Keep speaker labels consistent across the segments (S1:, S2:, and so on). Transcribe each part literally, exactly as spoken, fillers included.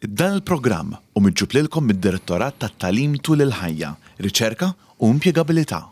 S1: Dan il-programm hu miġjub lilkom mid-Direttorat tat-Tagħlim tul il-ħajja, Riċerka u Impjegabilità.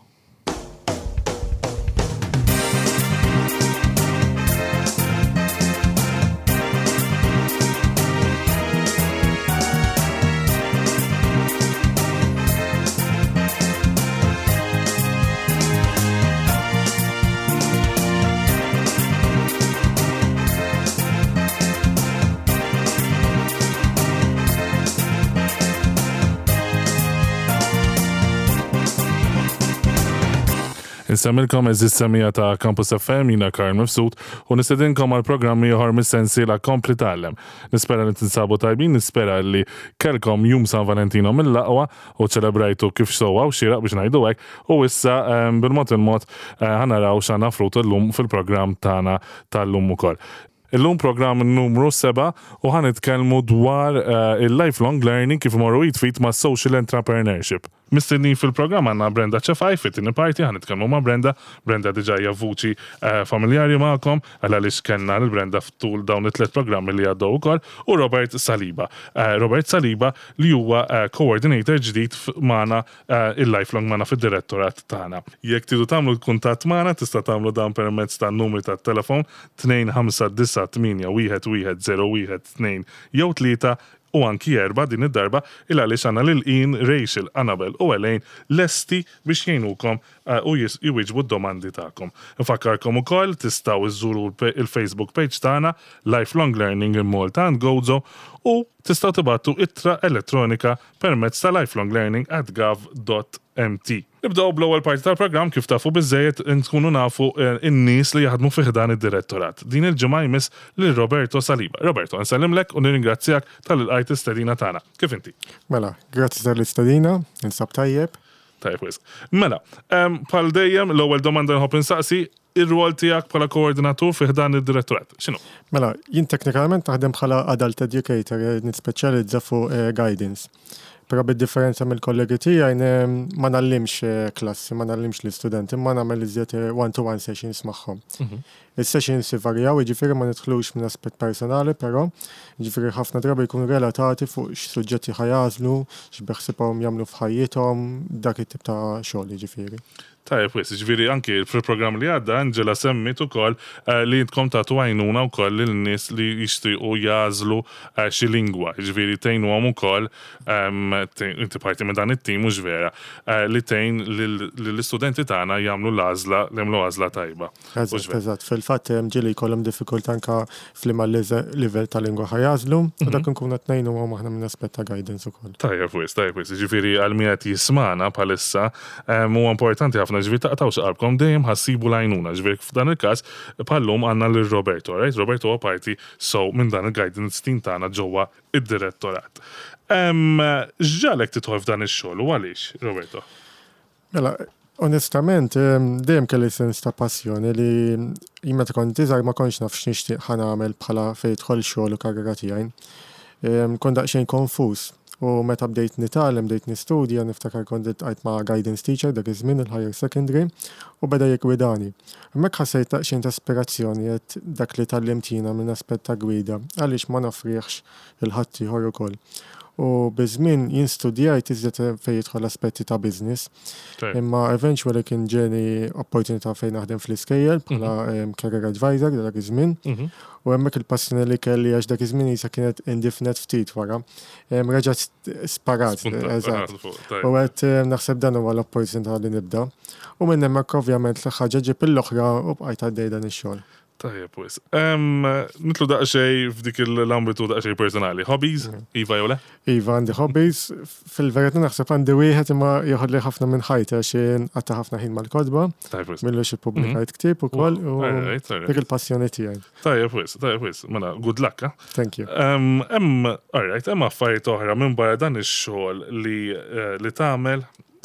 S2: Insellmilkom, għeżież semmiegħa ta' Campus F M, jiena Karl Mifsud u nistedinkom għal programm ieħor mis-sensiela Kompli Tgħallem. Nispera li tinsabu tajbin, nispera li kellkom jum San Valentino mill-aqwa u ċelebrajtu kif sewwa u xieraq biex ngħidu hekk u issa em, bil-mod il-mod eh, ħa naraw x'għandna frut illum fil-programm tagħna tal-lum ukoll. Illum programm numru seba' u ħa nitkellmu dwar eh, il-lifelong learning kif imorru id f'id ma' social entrepreneurship. Mistednin fil-programm għandna Brenda Ċefaj, fit-tieni parti ħa nitkellmu ma' Brenda. Brenda diġà hija vuċi eh, familjari magħkom, għal għaliex kellna lil Brenda ftul dawn it-tliet programmi li għaddew ukoll, u Robert Saliba. Eh, Robert Saliba li huwa eh, coordinator ġdid f- magħna eh, il-lifelong magħna fid-direttorat tagħna. Jekk tridu tagħmlu l-kuntatt magħna tista' tagħmlu dan permezz ta' numri tat-telefon tnejn ħamsa disa' tmienja wieħed wieħed żero wieħed tnejn jew tlieta u anki erba' din id-darba il għaliex għandna lil Ian, Rachel, Annabel u Elaine lesti biex jgħinukom eh, u jis- jwieġbu d-domandi tagħkom. Nfakkarkom ukoll tistgħu iżżuru il-Facebook page tagħna Lifelong Learning in Malta and Gozo u tistgħu tibagħtu ittra elettronika permezz ta' lifelonglearning at gov dot M T. Nibdew bl-ewwel parti tal-programm. Kif tafu biżejjed, nkunu nafu eh, in-nies li jaħdmu fi ħdan id-direttorat. Din il-ġimgħa jmiss lil Roberto Saliba. Roberto, nsellimlek u nirringrazzjak talli lqajt l-istedina tagħna. Kif inti?
S3: Mela, grazzi tal-istedina, ninsab tajjeb.
S2: Tajjeb wisq. Mela, em, bħal dejjem l-ewwel domanda nħobb insaqsi, ir-rwol tiegħek bħala koordinatur fi ħdan id-direttorat. X'inhu?
S3: Mela, jien teknikament naħdem bħala adult educator, eh, nispeċjalizza fuq eh, guidance. Però bid-differenza mill-kollegi tiegħi ne- ma ngħallimx eh, klassi, ma ngħallimx l-istudenti, ma nagħmel iżjed eh, one-to-one sessions magħhom. Is-sessions varjaw, jiġifieri ma nidħlux minn aspett personali, però jiġifieri ħafna drabi jkunu relatati fuq x'suġġetti ħa jagħżlu, x'beħsibhom jagħmlu f'ħajjithom, dak it-tip ta' xogħol jiġifieri.
S2: Tajjeb wisq, ġifieri anki fil-programm li għadda Angela semmit ukoll eh, li intkom tagħtu għajnuna wkoll lin-nies li jixtiequ jagħżlu eh, xi lingwa, ġifieri tgħinuhom ukoll em, te- inti parti minn dan it-tim, mhux vera, eh, li tgħin lill-istudenti tagħna jagħmlu l-għażla, li jagħmlu għażla tajba. Mhux
S3: Eżatt,
S2: vera?
S3: Eżatt. Fil-fatt hemm ġieli jkollhom diffikultà anka f'liema livell ta' lingwa ħa jagħżlu, u dak nkunu qed ngħinuhom aħna minn aspett ta' guidance ukoll.
S2: Tajjeb wisq, tajjeb wisq. Ġifieri għal min qed jismagħna bħalissa, em, huwa importanti ħafna, ġifieri taqtgħux qalbkom, dejjem ħa ssibu l-għajnuna. Ġifieri f'dan il-każ bħallum għandna lil Roberto, right? Roberto huwa parti so minn dan il-guidance team tagħna ġewwa id-direttorat. Em, X'ġagħlek tidħol f'dan ix-xogħol u għaliex, Roberto?
S3: Mela, onestament, em, dejjem kelli sens ta' passjoni li jien meta kont iżgħar ma kontx naf x'nixtieq ħa nagħmel bħala fejn jidħol xogħol u karriera tiegħi. Em, Kont daqsxejn konfuż u meta bdejt nitgħallem, bdejt nistudja, niftakar kont iltqajt ma' guidance teacher dak iż-żmien il-higher secondary u beda jiggwidani. Hemmhekk ħassejt daqsxejn ta' ispirazzjoni, għedt dak li tgħallimt jiena minn aspett ta' gwida, għaliex ma noffrihx lil ħaddieħor ukoll. U biż-żmien jien studjajt iżjed fejn jidħol aspetti ta' business.
S2: Tajjeb.
S3: Imma eventually kien ġieni opportunità fejn naħdem fl-iskejjel bħala em, career advisor dak iż-żmien.
S2: Mhm.
S3: U hemmhekk il-passjoni li kelli, għax dak iż-żmien jisa kienet indifnet ftit wara, em, Reġgħet sparat,
S2: Spunta,
S3: eżatt.
S2: ah, fuq, tajjeb.
S3: U għedt em, naħseb dan huwa l-opportunità li nibda. U minn hemmhekk ovvjament l-ħaġa ġib l-oħra u bqajt għaddej dan ix-xogħol.
S2: Tajjeb wisq. Em, Nidħlu daqsxejn f'dik l-ambitu daqsxejn personali. Hobbies, iva jew le?
S3: Iva, għandi hobbies, fil-verità naħseb għandi wieħed imma joħodli ħafna minn ħajti għax nqatta' ħafna ħin mal-kotba,
S2: Tajjeb wisq.
S3: m'ilux ippubblikajt ktieb ukoll u
S2: Alright, alright.
S3: dik il-passjoni tiegħi.
S2: Tajjeb wisq, tajjeb wisq. Mela, good luck, eh?
S3: Thank you.
S2: Um, Hemm, alright, hemm affarijiet oħra minn barra dan ix-xogħol li eh, li tagħmel,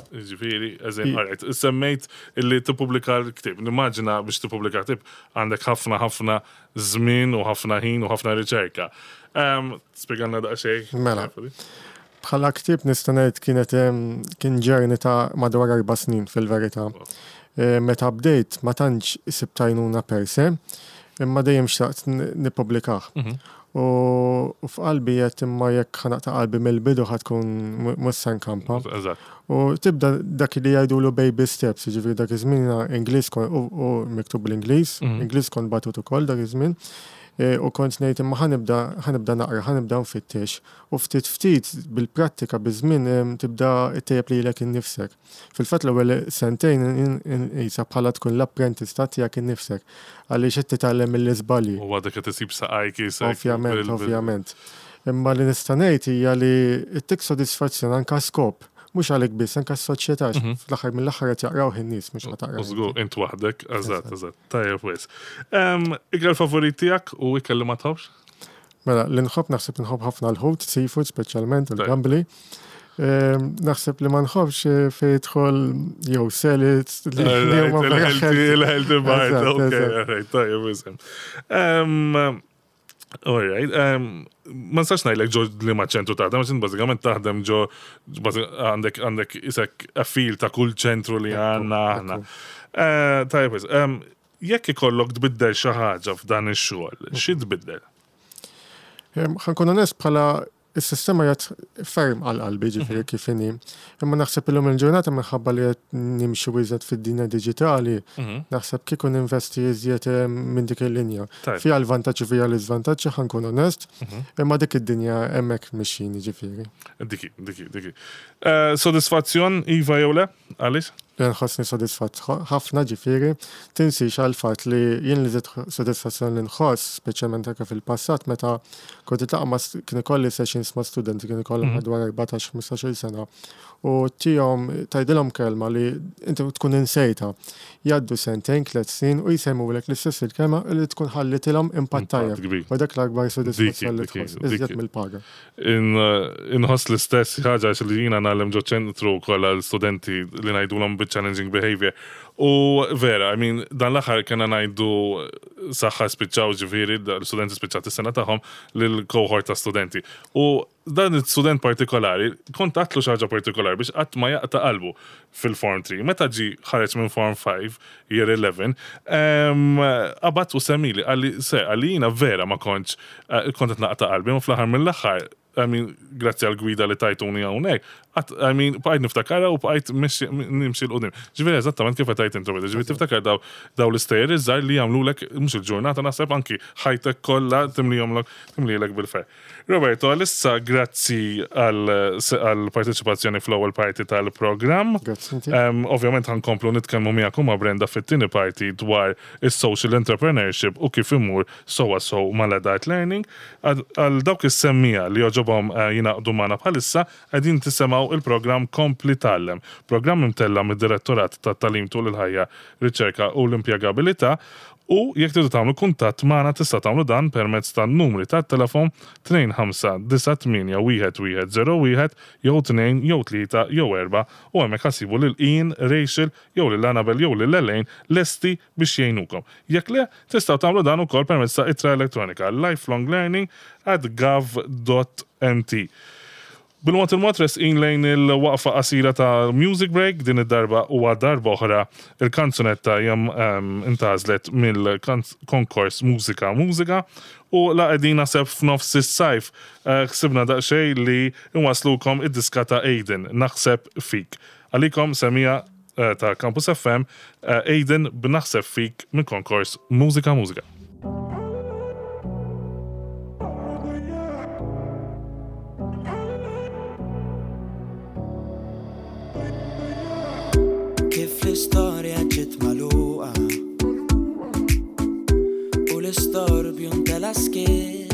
S2: ġifieri, eżin,
S3: I-
S2: alright, semmejt illi tippubblika l-ktieb. Nimmaġina biex tippubblika ktieb għandek ħafna ħafna żmien u ħafna ħin u ħafna riċerka. Um, Spjegalna daqsxejn.
S3: Mela. Bħala ktieb nista' ngħid kienet em, kien journey ta' madwar erba' snin fil-verità. Eh, Meta bdejt ma tantx sibt għajnuna per se, imma dejjem xtaqt n- nippubblikah.
S2: Mhm.
S3: U u f'qalbi qed imma jekk ħa naqta' qalbi mill-bidu ħa tkun mhux se nkampa.
S2: Eżatt.
S3: U tibda dak li jgħidulu baby steps, jiġifieri dak iż-żmien jiena Ingliż kon u u miktub bl-Ingliż,
S2: Mhm.
S3: Ingliż kont batut ukoll dak iż-żmien. E, U kont ngħid imma ħa nibda ħa nibda naqra, ħa nibda nfittex. U ftit ftit bil-prattika biż-żmien em, tibda ttejjeb lilek innifsek. Fil-fatt l-ewwel sentejn qisha bħala tkun l-apprentista tiegħek innifsek għaliex qed titgħallem mill-iżbalji.
S2: U għadek qed isib saqajk isek.
S3: Ovvjament,
S2: bil- bil-
S3: ovvjament. Imma li nista' ngħid hija li ttik sodisfazzjon anka skop, mhux għalik biss, anka s-soċjetà,
S2: Mhm.
S3: fl-aħħar mill-aħħar qed jaqraw in-nies mhux ħa taqra.
S2: U żgur, int waħdek, eżatt, eżatt. Tajjeb wis. Ikel favorit tiegħek u ikel li ma tħobbx?
S3: Mela, li nħobb naħseb nħobb ħafna l-ħut, seafood speċjalment,
S2: Tajjeb.
S3: il-gambli. Ehm, Naħseb li ma nħobbx eh, fejn jidħol jew salads li li huma vera healthy.
S2: Il-healthy bite,
S3: Eżatt,
S2: ok,
S3: eżatt.
S2: alright, tajjeb wis. Um, Alright, um, ma nistax ngħidlek ġo liema ċentru taħdem, għax int bażikament taħdem ġo bażi- għandek għandek isek a feel ta' kull ċentru li għandna aħna. Eh, Tajjeb wis, um, jekk ikollok tbiddel xi ħaġa f'dan ix-xogħol, xi tbiddel?
S3: Ehm, Ħa nkun onest bħala is-sistema jgħat ferm għal qalbi ġifieri
S2: Mhm.
S3: kif inhi. Imma naħseb illum il-ġurnata minħabba li qed nimxu iżjed fid-dinja diġitali,
S2: Mhm.
S3: naħseb kieku ninvesti iżjed eh, minn dik il-linja.
S2: Tajjeb.
S3: Fiha l-vantaġġi fiha l-iżvantaġġi ħa nkun onest,
S2: Mhm.
S3: imma dik id-dinja hemmhekk mixjin ġifieri.
S2: Diki, diki, diki. Eh, Sodisfazzjon, Iva jew le? Għaliex?
S3: Li nħossni sodisfatt ħafna ġifieri, tinsix għal fatt li jien li żied sodisfazzjon li nħoss, speċjalment anke fil-passat meta kont niltaqa' ma' st- kien ikolli sessions ma' studenti kien ikollhom
S2: Mhm.
S3: madwar erbatax ħmistax-il sena u tihom tgħidilhom kelma li inti tkun insejta. Jgħaddu sentejn, tliet snin u jsemmulek l-istess il-kelma li tkun ħallitilhom impatt
S2: Impatt
S3: tajjeb.
S2: kbir.
S3: U dak l-akbar sodisfazzjon li
S2: Diki,
S3: tħoss,
S2: diki,
S3: iżjed
S2: diki.
S3: mill-paga.
S2: In- Inħoss l-istess ħaġa għax li jiena ngħallem ġo ċentru kollha l-studenti li ngħidulhom bit-challenging behavior. U vera, I mean, dan l-aħħar kena ngħidu saħħa spiċċaw ġifieri, l-studenti spiċċat is-sena tagħhom lil-cohort ta' studenti. U dan il-student partikolari, kont għedtlu xi ħaġa partikolari biex qatt ma jaqta' qalbu fil-Form three. Meta ġi ħareġ minn Form five, year eleven, em, qabad u semmili, qalli, se, qalli jiena vera ma kontx, eh, kont qed naqta' qalbi, ma fl-aħħar mill-aħħar, I mean, grazzi għal-gwida li tajtuni hawnhekk, I mean, bqajt niftakarha u bqajt nimxi 'l quddiem. Ġifieri eżattament kif għedt intu, ġifieri tiftakar daw daw l-istejjer iż-żgħar li jagħmlulek mhux il-ġurnata naħseb anki ħajtek kollha timlihomlok timlilek bil-ferħ. Roberto, għalissa grazzi għal-parteċipazzjoni fl-ewwel parti tal-programm.
S3: Grazzi inti.
S2: Um, ovvjament ħa nkomplu nitkellmu miegħek u ma' Brenda fit-tieni parti dwar is-social entrepreneurship u kif imur sowa sow mal-adult learning. Għal għal dawk is-semmiegħa li jogħġobhom uh, jingħaqdu magħna bħalissa qegħdin tisimgħu il-programm Kompli Tgħallem. Programm imtella mid-Direttorat tat-Tagħlim tul il-ħajja, Riċerka u l-Impjegabilità. U jekk tridu tagħmlu kuntatt magħna tista' tagħmlu dan permezz tan-numri tat-telefon tnejn ħamsa disa' tmienja wieħed wieħed żero wieħed jew tnejn jew tlieta jew erba' u hemmhekk ħa ssibu lil Ian, Rachel jew lil Annabel jew lil Elaine lesti biex jgħinukom. Jekk le, tistgħu tagħmlu dan ukoll permezz ta' ittra elettronika lifelonglearning at gov dot M T. Bil-mod il-mod resqin lejn il-waqfa qasira ta' Music Break, din id-darba u darba oħra il-kanzunetta jam um, intgħażlet mill-konkors Mużika Mużika u la qegħdin naħseb f'nofs is-sajf eh, ħsibna daqsxejn li nwaslukom id-diska ta' Aiden, Naħseb Fik. Għalikom semmiegħa eh, ta' Campus F M, eh, Aiden b'Naħseb Fik minn konkors Mużika Mużika.
S4: Kif l-istorja ġiet magħluqa u l-istorbju ntela skiet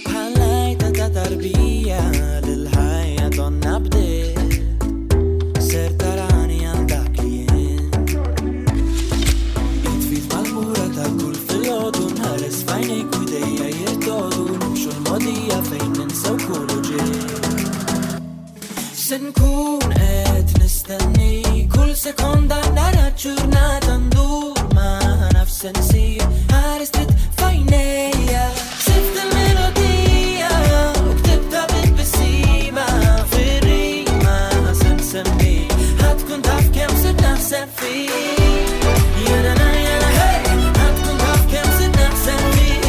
S4: bħal-għajta ta' tarbija l-ħajja donna bdiet ser tarani għal dak li jien id f'id mal-mura ta' kull filgħodu nħares f'għajnejk u idejja jirtodu nimxu l-mogħdija fejn ninsew kull uġigħ. Se nkun qed nistenni kull sekonda nara ġurnata ndur ma naf se nsir ħares trid f'għajnejja. Sift il-melodija u ktibta bit-tbissima fir-rima se nsemmi ħa tkun taf kemm se naħseb fik. Jena na jena hey ħa tkun taf kemm se naħseb fik.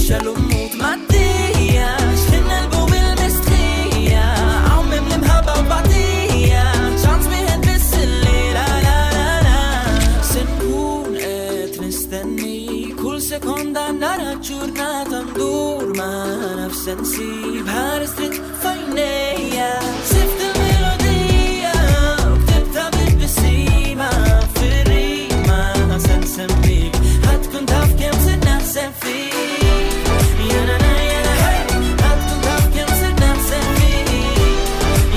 S4: Nixgħelu mood mad-dinja. X'ħin negħlbu mill-mistħija. Hawn mimli mħabba u batija. Ċans wieħed biss illejla la la la. Se nkun qed nistenni kull sekonda nara ġurnata ndur ma nafx se nsib ħares dritt f'għajnejja. Sift il-melodija u ktibtha bit-tbissima fir-rima se nsemmik ħa tkun taf kemm sirt naħseb fik. Jena na jena hey, ħa tkun taf kemm sirt naħseb fik.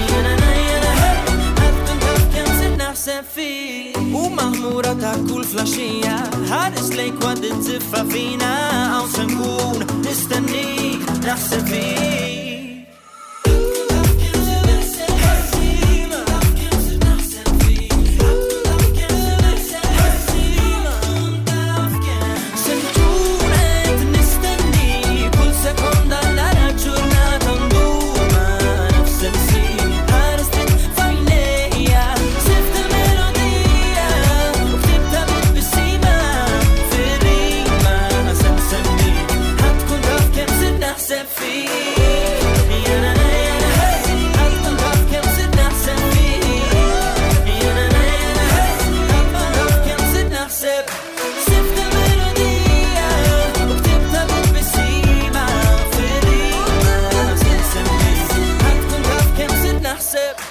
S4: Jena na jena hey, ħa tkun taf kemm sirt naħseb fik. U maħmura ta' kull filgħaxija, ħares lejk waqt it-tiffa fina, hawn se nkun nistennik naħseb fik. Se nkun qed nistenni kull sekonda nara ġurnata ndur ma nafx se nsib ħares dritt f'għajnejja. Sift il-melodija u ktibtha bit-tbissima fir-rima se nsemmik ħa tkun taf kemm sirt naħseb fik. Jena na jena hey, ħa tkun taf kemm sirt naħseb fik. Jena na jena hey, ħa tkun taf kemm sirt naħseb. Sift il-melodija u ktibtha bit-tbissima fir-rima se nsemmik ħa tkun taf kemm sirt naħseb.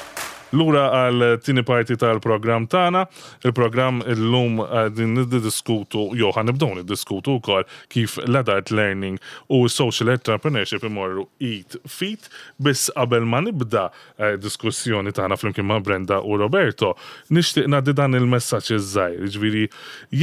S2: Lura għal tieni parti tal-programm tagħna, il-programm illum din niddiskutu, jew ħa nibdew niddiskutu wkoll kif l-adult learning u social entrepreneurship imorru id f'id, biss qabel ma nibda eh, diskussjoni tagħna flimkien ma' Brenda u Roberto, nixtieq ngħaddi dan il-messaġġ iż-żgħir, jiġifieri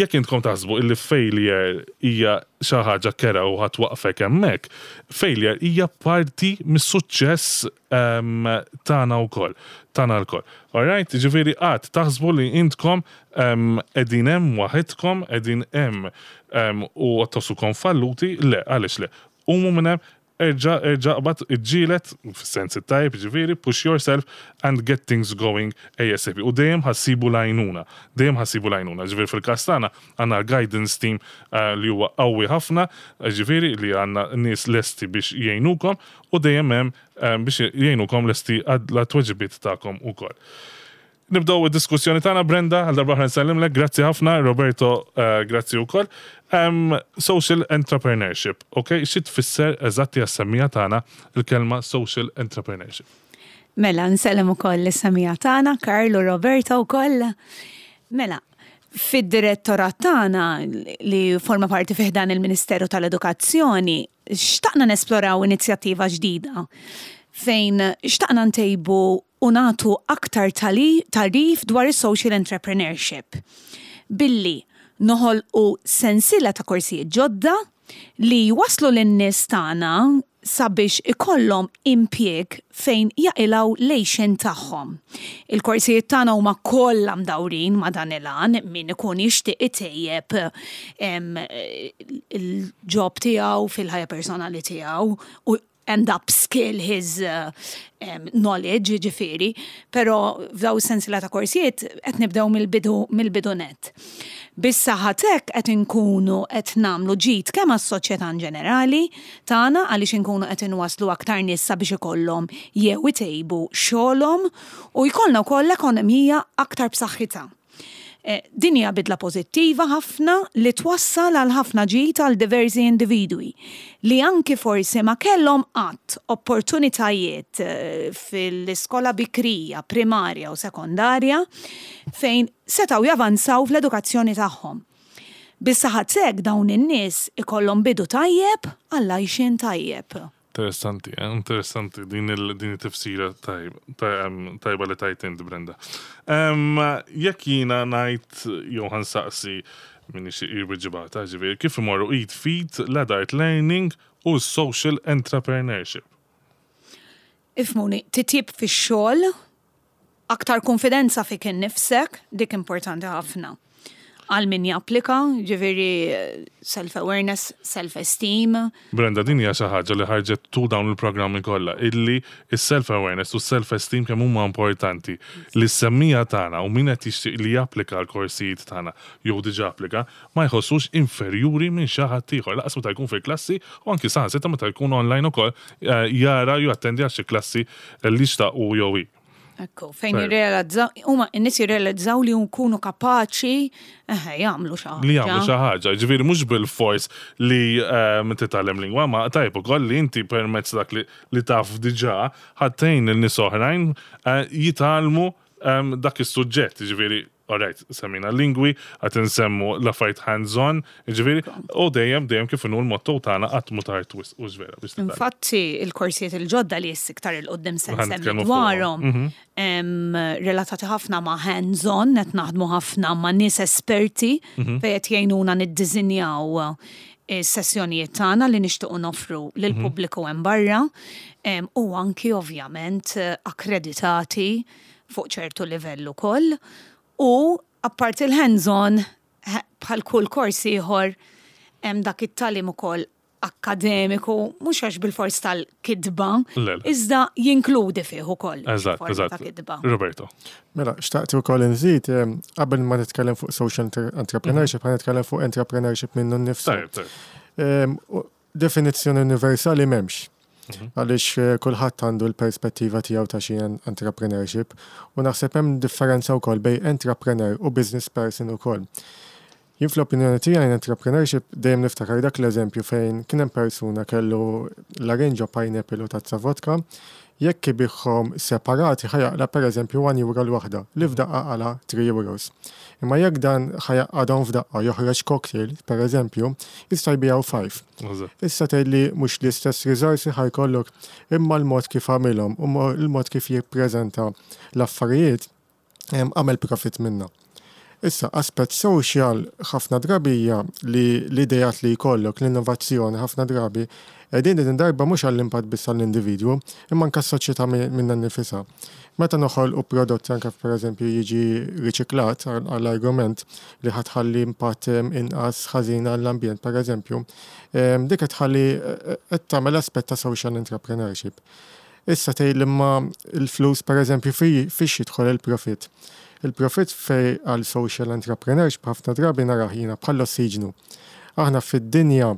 S2: jekk intkom taħsbu illi failure hija xi ħaġa kerha u ħa twaqqfek hemmhekk, failure hija parti mis-suċċess um, tagħna wkoll, tagħna lkoll. Alright, ġifieri qatt taħsbu li intkom um, qegħdin hemm waħedkom, qegħdin hemm um, u tħossukom falluti, le, għaliex le. Qumu minn hemm, erġa' erġa' qbad iġġieled, fis-sens it-tajb, ġifieri, push yourself and get things going ASAP. U dejjem ħa ssibu l-għajnuna, dejjem ħa ssibu l-għajnuna. Ġifieri fil-każ tagħna għandna l-guidance team uh, li huwa qawwi ħafna, ġifieri li għandna nies lesti biex jgħinukom u dejjem hemm um, biex jgħinukom lesti għat-tweġibiet tagħkom ukoll. Nibdew id-diskussjoni tagħna Brenda, għal darba oħra nsellimlek, grazzi ħafna, Roberto, uh, grazzi wkoll. Um, social entrepreneurship, ok? Xi tfisser eżatti għas-semmiegħa tagħna il-kelma social entrepreneurship?
S5: Mela, nsellem ukoll is-semmiegħa tagħna, Karl u Roberto wkoll. Mela, fid-direttorat tagħna li forma parti fi ħdan il-Ministeru tal-Edukazzjoni, xtaqna nesploraw inizjattiva ġdida fejn xtaqna ntejbu u nagħtu aktar tali- tagħrif dwar is-social entrepreneurship. Billi noħolqu sensiela ta' korsijiet ġodda li waslu lin-nies tagħna sabiex ikollhom impjieg fejn jaqilgħu l-għixien tagħhom. Il-korsijiet tagħna huma kollha mdawrin ma' dan il-għan min ikun jixtieq itejjeb em, il-job tiegħu fil-ħajja personali tiegħu u and upskill his uh, um, knowledge, ġifieri, pero f'daw is-sensiela ta' korsijiet qed nibdew mill-bidu mill-bidu net. Bis-saħħa t'hekk qed inkunu qed nagħmlu ġid kemm għas-soċjetà in ġenerali tagħna għaliex inkunu qed inwaslu aktar nies sabiex ikollhom jew itejbu xogħolhom u jkollna wkoll ekonomija aktar b'saħħitha. Eh, Din hija bidla pożittiva ħafna li twassal għal ħafna ġid għal diversi individwi li anki forsi ma kellhom qatt opportunitajiet eh, fil-iskola bikrija, primarja u sekondarja fejn setgħu javanzaw fl-edukazzjoni tagħhom. Bis-saħħa t'hekk dawn in-nies ikollhom bidu tajjeb għal għajxien tajjeb.
S2: Interessanti, eh? interessanti din il din it-tifsira tajba tajba li tajt int Brenda. Um, jekk jiena ngħid jew ħa nsaqsi minni xi irbiġibata, ġifieri, kif imorru id f'id l-adult learning u social entrepreneurship.
S5: Ifhmuni, titjib fix-xogħol, aktar konfidenza fik innifsek, dik importanti ħafna. Għal min japplika, ġifieri self-awareness, self-esteem.
S2: Brenda, din hija xi ħaġa li ħarġet tul dawn il-programmi kollha, illi is-self-awareness u self-esteem kemm huma importanti. Li s-semmiegħa tagħna u min qed jixtieq li japplika l-korsijiet tagħna jew diġà applika, ma jħossux inferjuri minn xi ħadd ieħor. Lanqas meta jkun fil-klassi u anki saħansitra meta jkun online ukoll eh, jara jew attendi għal xi klassi li xtaq u jew hi.
S5: Ekku, fejn jirrealizzaw, huma n-nies jirrealizzaw li jkunu kapaċi eh, jagħmlu xi ħaġa.
S2: Li jagħmlu xi ħaġa, ġifieri mhux bil-fors li eh, titgħallem lingwa, ma tajb ukoll li inti permezz dak li, li taf diġà ħa tgħin in-nies oħrajn eh, jitgħallmu em, dak is-suġġett, ġifieri alright, semmina lingwi, għat nsemmu l-affarijiet hands-on, ġifieri, u dejjem dejjem kif inhu l-motto tagħna qatt mhu tard wisq u vera biex titgħallem.
S5: Infatti, il-korsijiet il-ġodda li issa iktar 'il quddiem se
S2: Ħa
S5: nsemmi
S2: nitkellmu
S5: dwarhom,
S2: fuqhom.
S5: em, relatati ħafna ma' hands-on, qed naħdmu ħafna ma' nies esperti fejn qed jgħinuna niddiżinjaw is-sessjonijiet tagħna li nixtiequ noffru lill-pubbliku hemm barra, em, u anki ovvjament akkreditati fuq ċertu livell ukoll. U apart il-hands-on, he- bħal kull kors ieħor, hemm dak it-tagħlim ukoll akkademiku, mhux għax bil-fors tal-kitba,
S2: Le, le.
S5: iżda jinkludi fih ukoll.
S2: Eżatt,
S5: forma
S2: eżatt.
S5: ta' kitba.
S2: Roberto.
S3: Mela, xtaqt ukoll nżid, em, qabel ma nitkellem fuq social entre- entrepreneurship, ħa nitkellem fuq entrepreneurship minnu nnifsu.
S2: Tajjeb, tajjeb.
S3: Em, u Definizzjoni universali m'hemmx. Għaliex eh, kulħadd għandu l-perspettiva tiegħu ta' xi entrepreneurship u naħseb hemm differenza wkoll bejn entrepreneur u business person ukoll. Jien fl-opinjoni tiegħi entrepreneurship dejjem niftakar dak l-eżempju fejn kien hemm persuna kellu larinġa, pineapple u tazza vodka, jekk ibigħhom separati ħa jaqla' pereżempju one euro l-waħda, li f'daqqa qala' three euros. Imma jekk dan ħa jgħaqqadhom f'daqqa joħroġ cocktail, pereżempju, jista' jbigħu five.
S2: Eżatt.
S3: Issa tgħid li mhux l-istess riżorsi ħa jkollok, imma l-mod kif għamilhom u mo- l-mod kif jippreżenta l-affarijiet em, għamel profit minna. Issa, aspett social ħafna drabi hija li l-idejat li jkollok, l-innovazzjoni ħafna drabi, qegħdin din darba mhux għall-impatt biss għall-individwu, imma anke s-soċjetà mi- minnha nnifisha. Meta noħolqu prodotti anke pereżempju jiġi riċiklat għall- għall-argument li ħa tħalli impatt em, inqas ħażin għall-ambjent pereżempju, em, dik qed tħalli eh, qed tagħmel aspett ta' social entrepreneurship. Issa tgħid li ma l-flus pereżempju fi fiex jidħol il-profit. Il-profit fej għal social entrepreneurship ħafna drabi narah jiena bħal ossiġnu. Aħna fid-dinja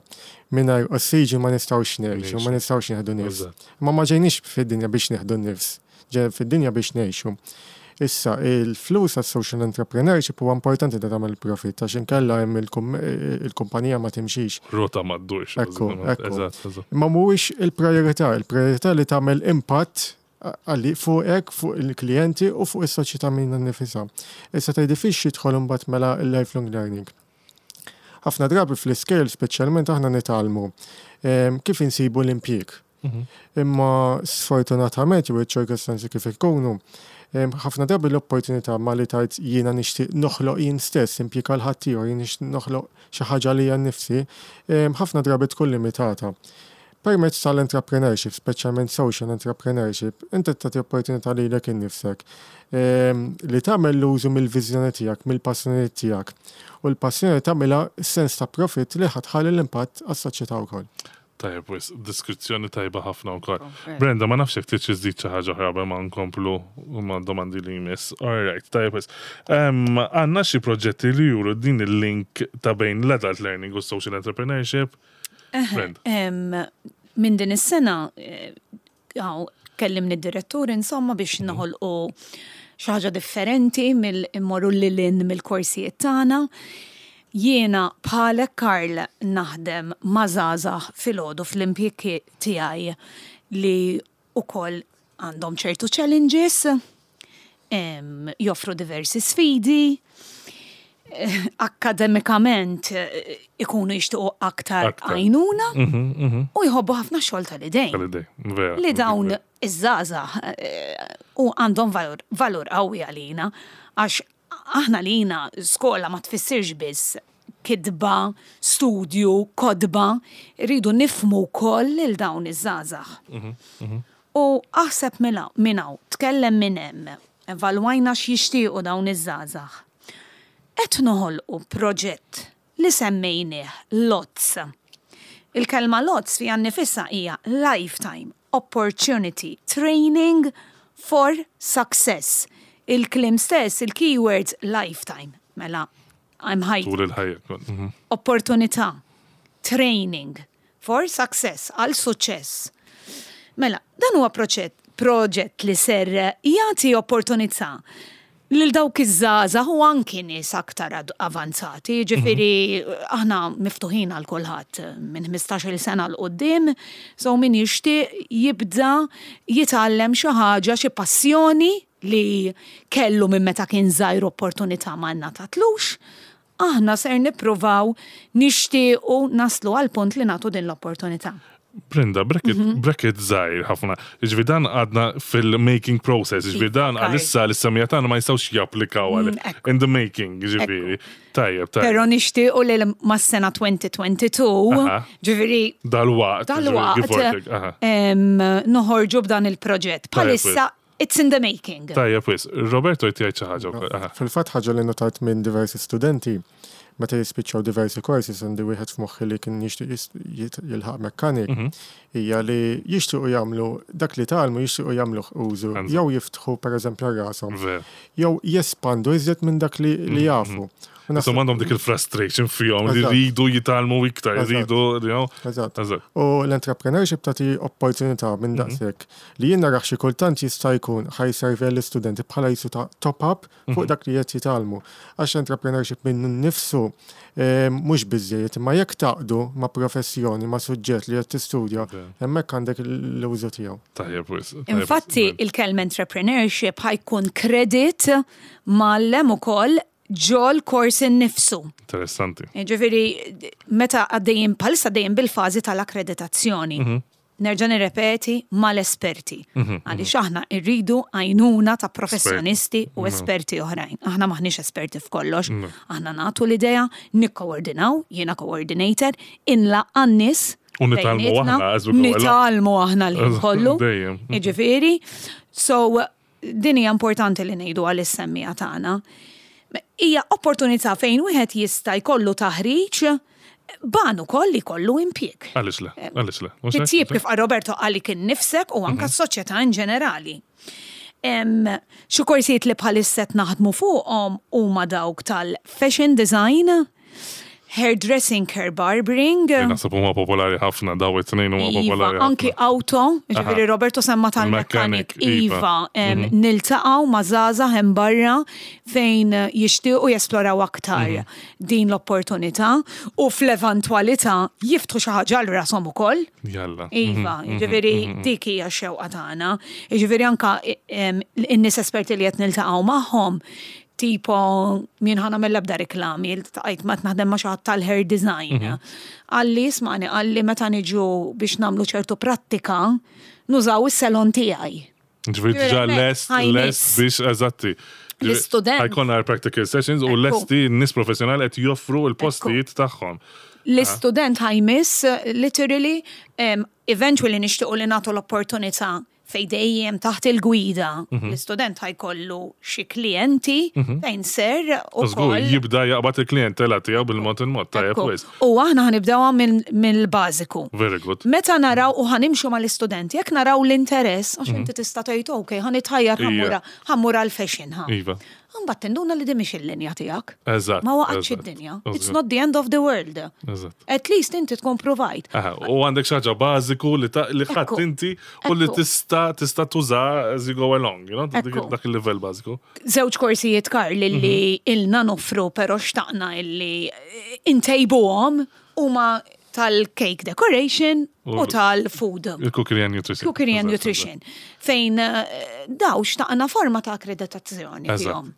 S3: mingħajr ossiġnu ma nistgħux ngħixu, ma nistgħux nieħdu nifs.
S2: Eżatt.
S3: Ma ma ġejniex fid-dinja biex nieħdu nifs, ġejna fid-dinja biex ngħixu. Issa, il-flus għas social entrepreneurship huwa importanti da tagħmel profit għax inkella hemm il-kum- il-kumpanija ma timxix.
S2: Rota ma ddurx.
S3: Ekku, ekku.
S2: Eżatt, eżatt.
S3: Imma mhuwiex il-priorità, il-priorità li tagħmel impatt għalli fuqek, fuq il-klijenti u fuq is-soċjetà minnha nnifisha. Issa tgħid fiex jidħol imbagħad mela il-lifelong learning. Ħafna drabi fl-iskejjel speċjalment aħna nitgħallmu em, kif insibu l-impjieg. Imma sfortunatament jew iċ-ċirkostanzi kif ikunu, em, ħafna drabi l-opportunità ma li tajt jiena nixtieq noħloq jien stess impjieg għal ħaddieħor, jien nixtieq noħloq xi ħaġa li nnifsi, em, ħafna drabi tkun limitata. Permezz tal-entrepreneurship, speċjalment social entrepreneurship, inti tagħti opportunità lilek innifsek em, li tagħmel l-użu mill-viżjoni tiegħek, mill-passjoni tiegħek. U l-passjoni tagħmilha sens ta' profit li ħa tħalli l-impatt għas-soċjetà wkoll.
S2: Tajjeb, wis, diskrizzjoni tajba ħafna wkoll. Brenda, ma nafx jekk trid iżżid xi ħaġa oħra qabel ma nkomplu ma' domandi li jmiss. All right, tajjeb wis. Em, Għandna xi proġetti li juru din il-link ta' bejn l-adult learning u social entrepreneurship. Brenda.
S5: Em, Minn din is-sena, eh, għaw, kellimni d-direttur insomma biex noħolqu xi ħaġa differenti mill-immorru lil hinn mill-korsijiet tagħna. Jiena bħalek, Karl, naħdem ma' żgħażagħ filgħodu fl-impjieg tiegħi li ukoll għandhom ċertu challenges, em, joffru diversi sfidi, eh, akkademikament eh, ikunu jixtiequ aktar
S2: Aktar.
S5: għajnuna u jħobbu ħafna xogħol tal-idejn.
S2: Tal-idej, vera.
S5: Li dawn iż-żgħażagħ eh, u għandhom valur, valur qawwi għalina, għax aħna lina skola ma tfissirx biss kitba, studju, kotba, rridu nifhmu wkoll lil dawn iż-żgħażagħ. U aħseb minn minn hawn, tkellem minn hemm, evalwajna x'jixtiequ dawn iż-żgħażagħ. Qed noħolqu proġett li semmejnieh LOTS. Il-kelma LOTS fiha nnifisha hija Lifetime Opportunity Training for Success. Il-kliem stess, il-keywords lifetime. Mela, I'm high
S2: Tul il-ħajja. Mhm.
S5: Opportunità, training for success, għal suċċess. Mela, dan huwa proġett, proġett li ser jagħti opportunità lil dawk iż-żgħażagħ u anki nies aktar ad- avanzati, ġifieri aħna miftuħin għal kulħadd minn ħmistax-il sena 'l quddiem, so min jixtieq jibda jitgħallem xi ħaġa, xi passjoni li kellu minn meta kien żgħir opportunità ma ngħatatlux, aħna ser nippruvaw nixtiequ naslu għal punt li nagħtu din l-opportunità.
S2: Brenda, bracket,
S5: Mhm.
S2: bracket żgħir ħafna. Ġifieri dan għadna fil-making process, ġifieri dan
S5: Iva,
S2: għalissa l-semmiegħa tagħna ma jistgħux japplikaw għal
S5: Mm, ekku.
S2: in the making, ġifieri. Tajjeb, tajjeb.
S5: Pero nixtiequ li mas-sena elfejn u tnejn u għoxrin,
S2: Aha.
S5: ġifieri
S2: Dal-waqt. ġifieri, give or
S5: dal-waqt
S2: take, aha.
S5: em, noħorġu b'dan il-proġett. Bħalissa it's in the making.
S2: Tajjeb, wis. Roberto jtijaj xi ħaġa wkoll. Aha.
S3: Fil-fatt ħaġa li notajt minn diversi studenti, meta jispiċċaw diversi courses, għandi wieħed f'moħħi li kien jixtieq jis- jit- jilħaq mechanic,
S2: Mhm.
S3: hija li jixtiequ jagħmlu dak li tgħallmu, jixtiequ jagħmlu użu,
S2: Eżatt.
S3: jew jiftħu pereżempju rashom,
S2: Ver.
S3: jew jespandu iżjed minn dak li li jafu. U naħseb-
S2: Insomma għandhom dik il-frustration fihom li
S3: Eżatt.
S2: rridu jitgħallmu iktar,
S3: Eżatt.
S2: rridu, you know.
S3: Eżatt.
S2: Eżatt.
S3: U l-entrepreneurship tagħti opportunità minn daqshekk li jien narax xi kultant jista' jkun ħa jservi l-istudenti bħala jisu ta' top-up fuq dak li qed jitgħallmu. Għax entrepreneurship minnu nnifsu eh, mhux biżejjed, imma jekk tgħaqqdu ma' professjoni, ma' suġġett li qed tistudja, hemmhekk għandek l-użu tiegħu.
S2: Tajjeb, wis. Tajjeb,
S5: Infatti,
S2: wis.
S5: il-kelma entrepreneurship ħa jkun credit mgħallem ukoll ġol-kors innifsu.
S2: Interessanti.
S5: Ġifieri, meta għaddejjin, bħalissa għaddejjin bil-fażi tal-akkreditazzjoni. Nerġa' nirrepeti mal-esperti. Għaliex aħna rridu għajnuna ta' professjonisti u esperti oħrajn. Aħna maħniex esperti f'kollox. Aħna nagħtu l-idea, nikkoordinaw, jiena coordinator, inlaqqa' n-nies.
S2: U nitgħallmu
S5: bejnietna,
S2: aħna as we go along.
S5: Nitgħallmu aħna li kollu.
S2: Dejjem.
S5: Ġifieri, so din hija importanti li ngħidu għal-semmiegħa tagħna. Hija opportunità fejn wieħed jista' jkollu taħriġ ban ukoll li jkollu impjieg.
S2: Għaliex le, għaliex le. Mhux hekk?
S5: Titjib kif qal Roberto għalik innifsek u anka s-soċjetà in ġenerali. Em, Xi korsijiet li bħalissa qed naħdmu fuqhom huma dawk tal-fashion design, hairdressing, hair barbering,
S2: Li naħseb huma popolari ħafna, daw it-tnejn huma
S5: Iva,
S2: popolari
S5: anki
S2: ħafna.
S5: auto, ġifieri
S2: Aha.
S5: Roberto semma tal-mechanic,
S2: Il-mechanic, iva.
S5: Iva, em, niltaqgħu ma' żgħażagħ hemm barra fejn jixtiequ jesploraw aktar
S2: Mhm.
S5: din l-opportunità u fl-eventwalità jiftħu xi ħaġa għal rashom ukoll.
S2: Jalla.
S5: Iva, ġifieri dik hija x-xewqa tagħna. Ġifieri anka em, in-nies esperti li qed niltaqgħu magħhom, tipo min ħa nagħmel ebda reklami, iltqajt ma naħdem ma' xi ħadd tal-hair design. Qalli, ismagħni, qalli meta niġu biex nagħmlu ċertu prattika, nużaw is-salon tiegħi.
S2: Ġifieri diġà
S5: Ġifieri,
S2: lest,
S5: ħajnis.
S2: lest biex eżatti.
S5: L-istudent.
S2: Ħa jkollna practical sessions u
S5: Ekku.
S2: lesti n-nies professjonali qed joffru l-postijiet tagħhom.
S5: L-istudent ħa jmiss, literally, um, eventually nixtiequ li nagħtu l-opportunità fej dejjem taħt il-gwida. L-istudent ħa jkollu xi klijenti fejn ser u
S2: Żgur, jibda jaqbad il-klientela tiegħu bil-mod il-mod, tajjeb wis.
S5: U aħna ħa nibdewha mill-bażiku.
S2: Very good.
S5: Meta naraw u ħa nimxu mal-istudenti, jekk naraw l-interess, għax inti tista' tgħid ok, ħa nitħajjar
S2: Ija.
S5: ħa mmur ħa mmur għal-fashion ħa.
S2: Iva.
S5: Mbagħad tinduna li din mhix il-linja tiegħek.
S2: Eżatt.
S5: Ma waqgħetx
S2: eżatt,
S5: id-dinja.
S2: eżatt.
S5: It's not the end of the world.
S2: Eżatt.
S5: At least inti tkun provajt.
S2: Aha, u għandek xi ħaġa bażiku li ta' li ħadd
S5: Ekku.
S2: inti u li
S5: Ekku.
S2: tista' tista' tuża as you go along, you know, dik
S5: Ekku.
S2: dak il-livell bażiku.
S5: Żewġ korsijiet Karl li ilna noffru pero xtaqna illi intejbuhom huma tal-cake decoration u
S2: U-
S5: tal-food.
S2: Il-cookery and nutrition.
S5: Cookery and
S2: Eżatt,
S5: nutrition. Fejn eh, daw xtaqna forma ta' akkreditazzjoni
S2: Eżatt.
S5: fihom.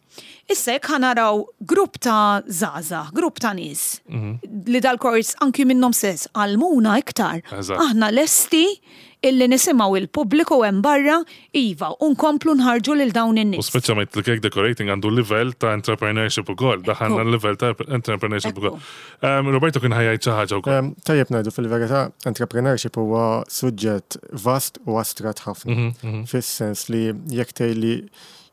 S5: Issa jekk ħa naraw grupp ta' żgħażagħ, grupp ta' nies
S2: Mhm.
S5: li dal-kors anki minnhom stess għallmuna iktar.
S2: Eżatt.
S5: Aħna lesti illi nisimgħu il-pubbliku hemm barra iva u nkomplu nħarġu lil dawn
S2: U
S5: in-nies.
S2: speċjalment il-cake decorating għandu livell ta' entrepreneurship ukoll, daħalna l-livell ta' entrepreneurship
S5: Ekku.
S2: ukoll. Um, Roberto kien ħa jgħid xi ħaġa wkoll.
S3: Em, Tajjeb ngħidu fil-verità, entrepreneurship huwa suġġett vast u astrat ħafna. Fis-sens li jekk tgħidli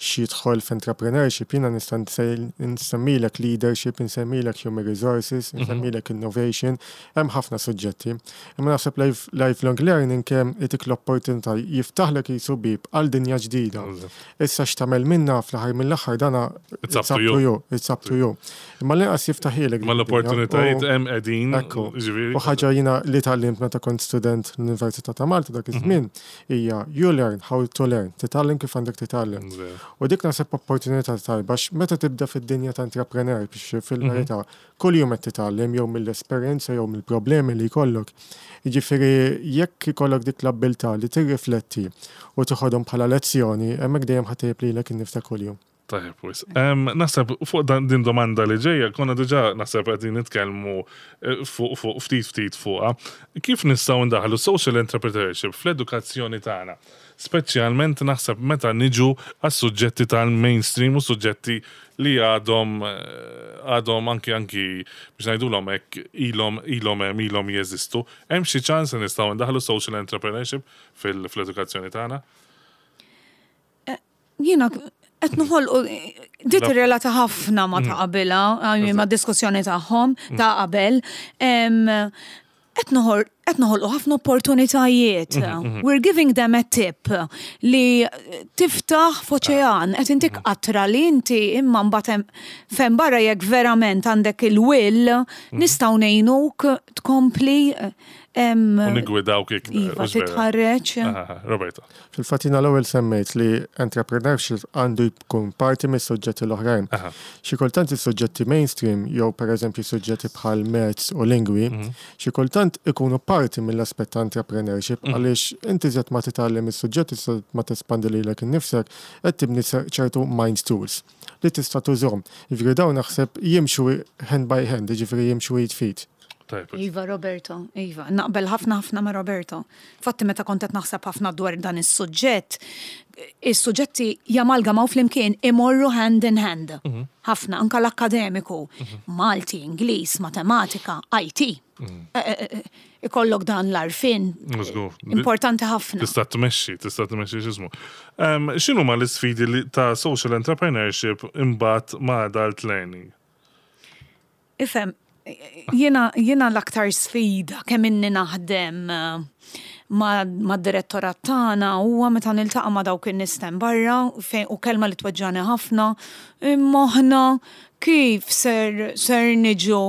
S3: X'jidħol f'entrepreneurship, jiena nista' nsemmilek leadership, nsemmilek human resources, nsemmilek innovation, hemm ħafna suġġetti. Imma naħseb lifelong learning kemm itik l-opportunità jiftaħlek jisu bib għal dinja ġdida. Issa x'tagħmel minna fl-aħħar mill-aħħar dana
S2: it's up to you.
S3: It's up to you. Imma l-inqas jiftaħilek.
S2: Ma l-opportunitajiet hemm qegħdin.
S3: U ħaġa jiena li tgħallimt meta kont student l-Università ta' Malta dak iż-żmien hija you learn how to learn, titgħallem kif għandek titgħallem. U dik naħseb opportunità tajba meta tibda fid-dinja ta' entrepreneur biex fil-verità kull jum qed titgħallem jew mill-esperjenza jew mill-problemi li jkollok. Jiġifieri jekk ikollok dik l-abbiltà li tirrifletti u toħodhom bħala lezzjoni, hemmhekk dejjem ħa ttejjeb lilek innifsek kuljum.
S2: Tajjeb, wis. Naħseb fuq din domanda li ġejja, konna diġà naħseb qegħdin nitkellmu eh, fuq fuq ftit ftit fuqha. Kif nistgħu ndaħlu social entrepreneurship fl-edukazzjoni tagħna? Speċjalment naħseb meta niġu għas-suġġetti tal-mainstream u suġġetti li għadhom eh, għadhom anki anki biex ngħidulhom hekk ilhom ilhom hemm ilhom jeżistu. Hemm xi ċans li nistgħu ndaħlu social entrepreneurship fil-edukazzjoni tagħna?
S5: Jiena qed noħolqu di tirrelata ħafna ma ta' mm. qabilha, ma' diskussjoni tagħhom ta' qabel. Qed noħolqu ħafna opportunitajiet. Mhm, mhm. We're giving them a tip li tiftaħ f'oċean, qed intik qatra li inti imma mbagħad fejn barra jekk verament għandek il-will mhm. nistgħu ngħinuk tkompli.
S2: U nigwidawk iktar.
S5: Iva, titħarreġ.
S2: Roberto.
S3: Fil-fatt jiena l-ewwel semmejt li entrepreneurship għandu jkun parti mis-suġġetti l-oħrajn. Xi kultant is-suġġetti mainstream jew pereżempju suġġetti bħal maths u lingwi, mhm. xi kultant ikunu parti mill-aspett ta' entrepreneurship mhm. għaliex inti żed ma titgħallem is-suġġetti ma tespandi lilek innifsek qed tibni ċertu mind tools li tista' tużhom. Jiġifieri dawn naħseb jimxu hand by hand, jiġifieri jimxu id f'id.
S5: Iva, Roberto, Iva, naqbel ħafna ħafna ma' Roberto. Fatti meta kont qed naħseb ħafna dwar dan is-suġġett, is-suġġetti jamalgamaw flimkien imorru hand in hand. Mhm. Ħafna, anka l-akademiku, mhm. Malti, Ingliż, Matematika, I T. Mhm. Eh, eh, eh, ikollok dan l-għarfien. Importanti ħafna.
S2: Tista' tmexxi, tista' tmexxi x'ismu. X'inhu ma l-isfidi ta' social entrepreneurship imbagħad ma' adult learning?
S5: Ifhem, jiena jiena l-aktar sfida kemm inni naħdem eh, ma' direttorat tagħna huwa meta niltaqa' ma' dawk in-nies barra fejn u kelma li tweġġani ħafna, imma aħna kif ser ser niġu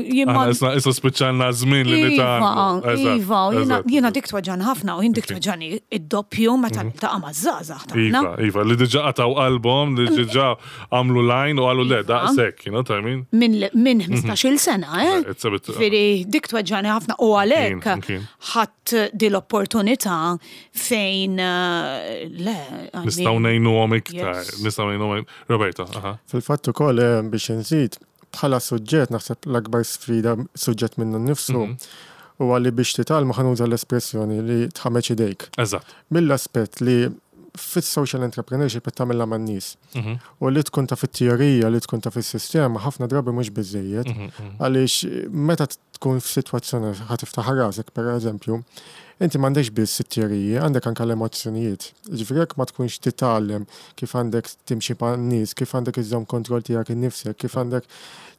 S2: jien ma- Aħna issa issa spiċċalna żmien li
S5: Iva,
S2: nitgħallmu. Eżatt,
S5: Iva, u jiena
S2: eżatt.
S5: jiena dik tweġġani ħafna u jien dik tweġġani id-doppju meta niltaqa' maż-żgħażagħ tagħna.
S2: Iva, iva, li diġà qataw qalbhom, li diġà għamlu line u għalu le,
S5: Iva.
S2: daqshekk, you know what I mean?
S5: Minn minn ħmistax-il sena, eh?
S2: It's a bit-
S5: Ġifieri dik tweġġani ħafna u għalhekk
S2: Kien, kien.
S5: ħadd di l-opportunità fejn eh, le. I
S2: Nistgħu
S5: mean,
S2: ngħinuhom iktar,
S5: yes.
S2: nistgħu ngħinuhom. Roberto, aha.
S3: Fil-fatt ukoll eh, biex nżid, bħala suġġett naħseb l-akbar sfida suġġett minnu nnifsu huwa li biex titgħallmu ħa nuża l-espressjoni li tħammeġ idejk.
S2: Eżatt.
S3: Mill-aspett li fis-social entrepreneurship qed tagħmilha man-nies.
S2: Mhm.
S3: U li tkun taf fit-teorija, li tkun taf fis-sistema, ħafna drabi mhux biżejjed.
S2: Mhm,
S3: Għaliex meta tkun f'sitwazzjoni ħa tiftaħ rasek pereżempju, inti m'għandekx biss it-teoriji, għandek anke l-emozzjonijiet. Ġifieri jekk ma tkunx titgħallem kif għandek timxi man-nies, kif għandek iżżomm kontroll tiegħek innifsek, kif għandek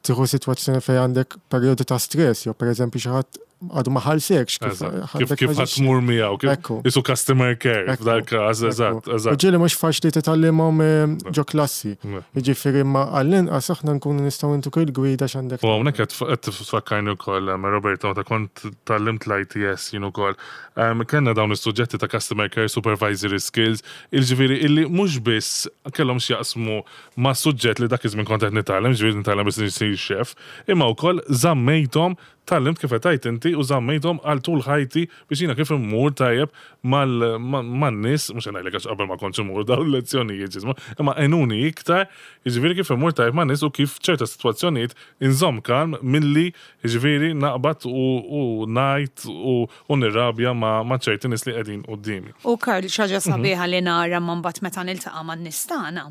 S3: tieħu sitwazzjoni fejn għandek perjodu ta' stress, jew pereżempju xi ħadd għadu ma ħallsekx kif
S2: Eżatt. Kif
S3: għandek
S2: kif
S3: taġixxi.
S2: ħa tmur miegħu, kif
S3: Ekku.
S2: isu customer care
S3: Ekku,
S2: f'dal każ, eżatt,
S3: Ekku. U
S2: eżatt.
S3: ġieli mhux faċli titgħallimhom eh, ġo klassi.
S2: Ne.
S3: Jiġifieri ma għall-inqas aħna nkunu nistgħu ntuk il-gwida x'għandek.
S2: U hawnhekk qed qed tfakkarni wkoll em, Roberto, meta kont tgħallimt l-I T S jien ukoll. Em, Kellna dawn is-suġġetti ta' customer care supervisory skills, il-ġifieri illi mhux biss kellhom x'jaqsmu ma' suġġett li dak iż-żmien kont qed nitgħallem, ġifieri nitgħallem biex nisir chef, imma wkoll żammejthom tgħallimt kif qed tgħid inti u żammejthom għal tul ħajti biex jiena kif immur tajjeb man-nies, mhux ngħidlek għax qabel ma kontx immur dawn il-lezzjonijiet ġismu, imma għenuni iktar, jiġifieri kif immur tajjeb man-nies u kif ċerta sitwazzjonijiet inżomm kalm milli jiġifieri naqbad u u ngħid u u nirrabja ma' ma' ċerti nies li qegħdin quddiemi.
S5: U Karl, xi ħaġa sabiħa li nara man bat meta niltaqa' man-nies tagħna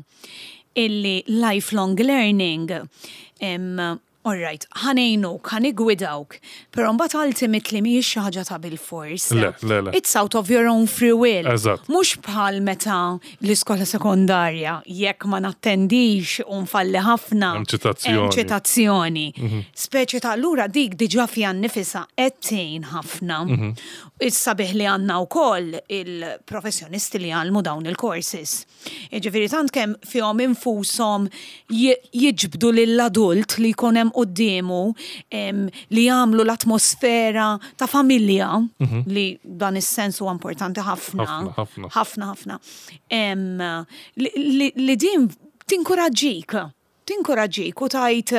S5: illi lifelong learning em, All right, ħa ngħinuk, ħa niggwidawk, però mbagħad ultimately mhijiex xi ħaġa ta' bil-fors.
S2: Le, le, le.
S5: It's out of your own free will.
S2: Eżatt.
S5: Mhux bħal meta l-iskola sekondarja, jekk ma nattendix u nfalli ħafna.
S2: Hemm ċitazzjoni.
S5: Hemm ċitazzjoni. Speċi ta' allura dik diġà fiha nnifisha qed tgħin ħafna. Is-sabiħ li għandna wkoll il-professjonisti li jgħallmu dawn il-courses. Jiġifieri tant kemm fihom infushom ji- jiġbdu lill-adult li jkun hemm quddiemu em, li jagħmlu l-atmosfera ta' familja li dan is-sens huwa importanti ħafna.
S2: Ħafna, ħafna.
S5: Ħafna, ħafna. Em, li, li, li din tinkoraġġik tinkoraġġik u tgħid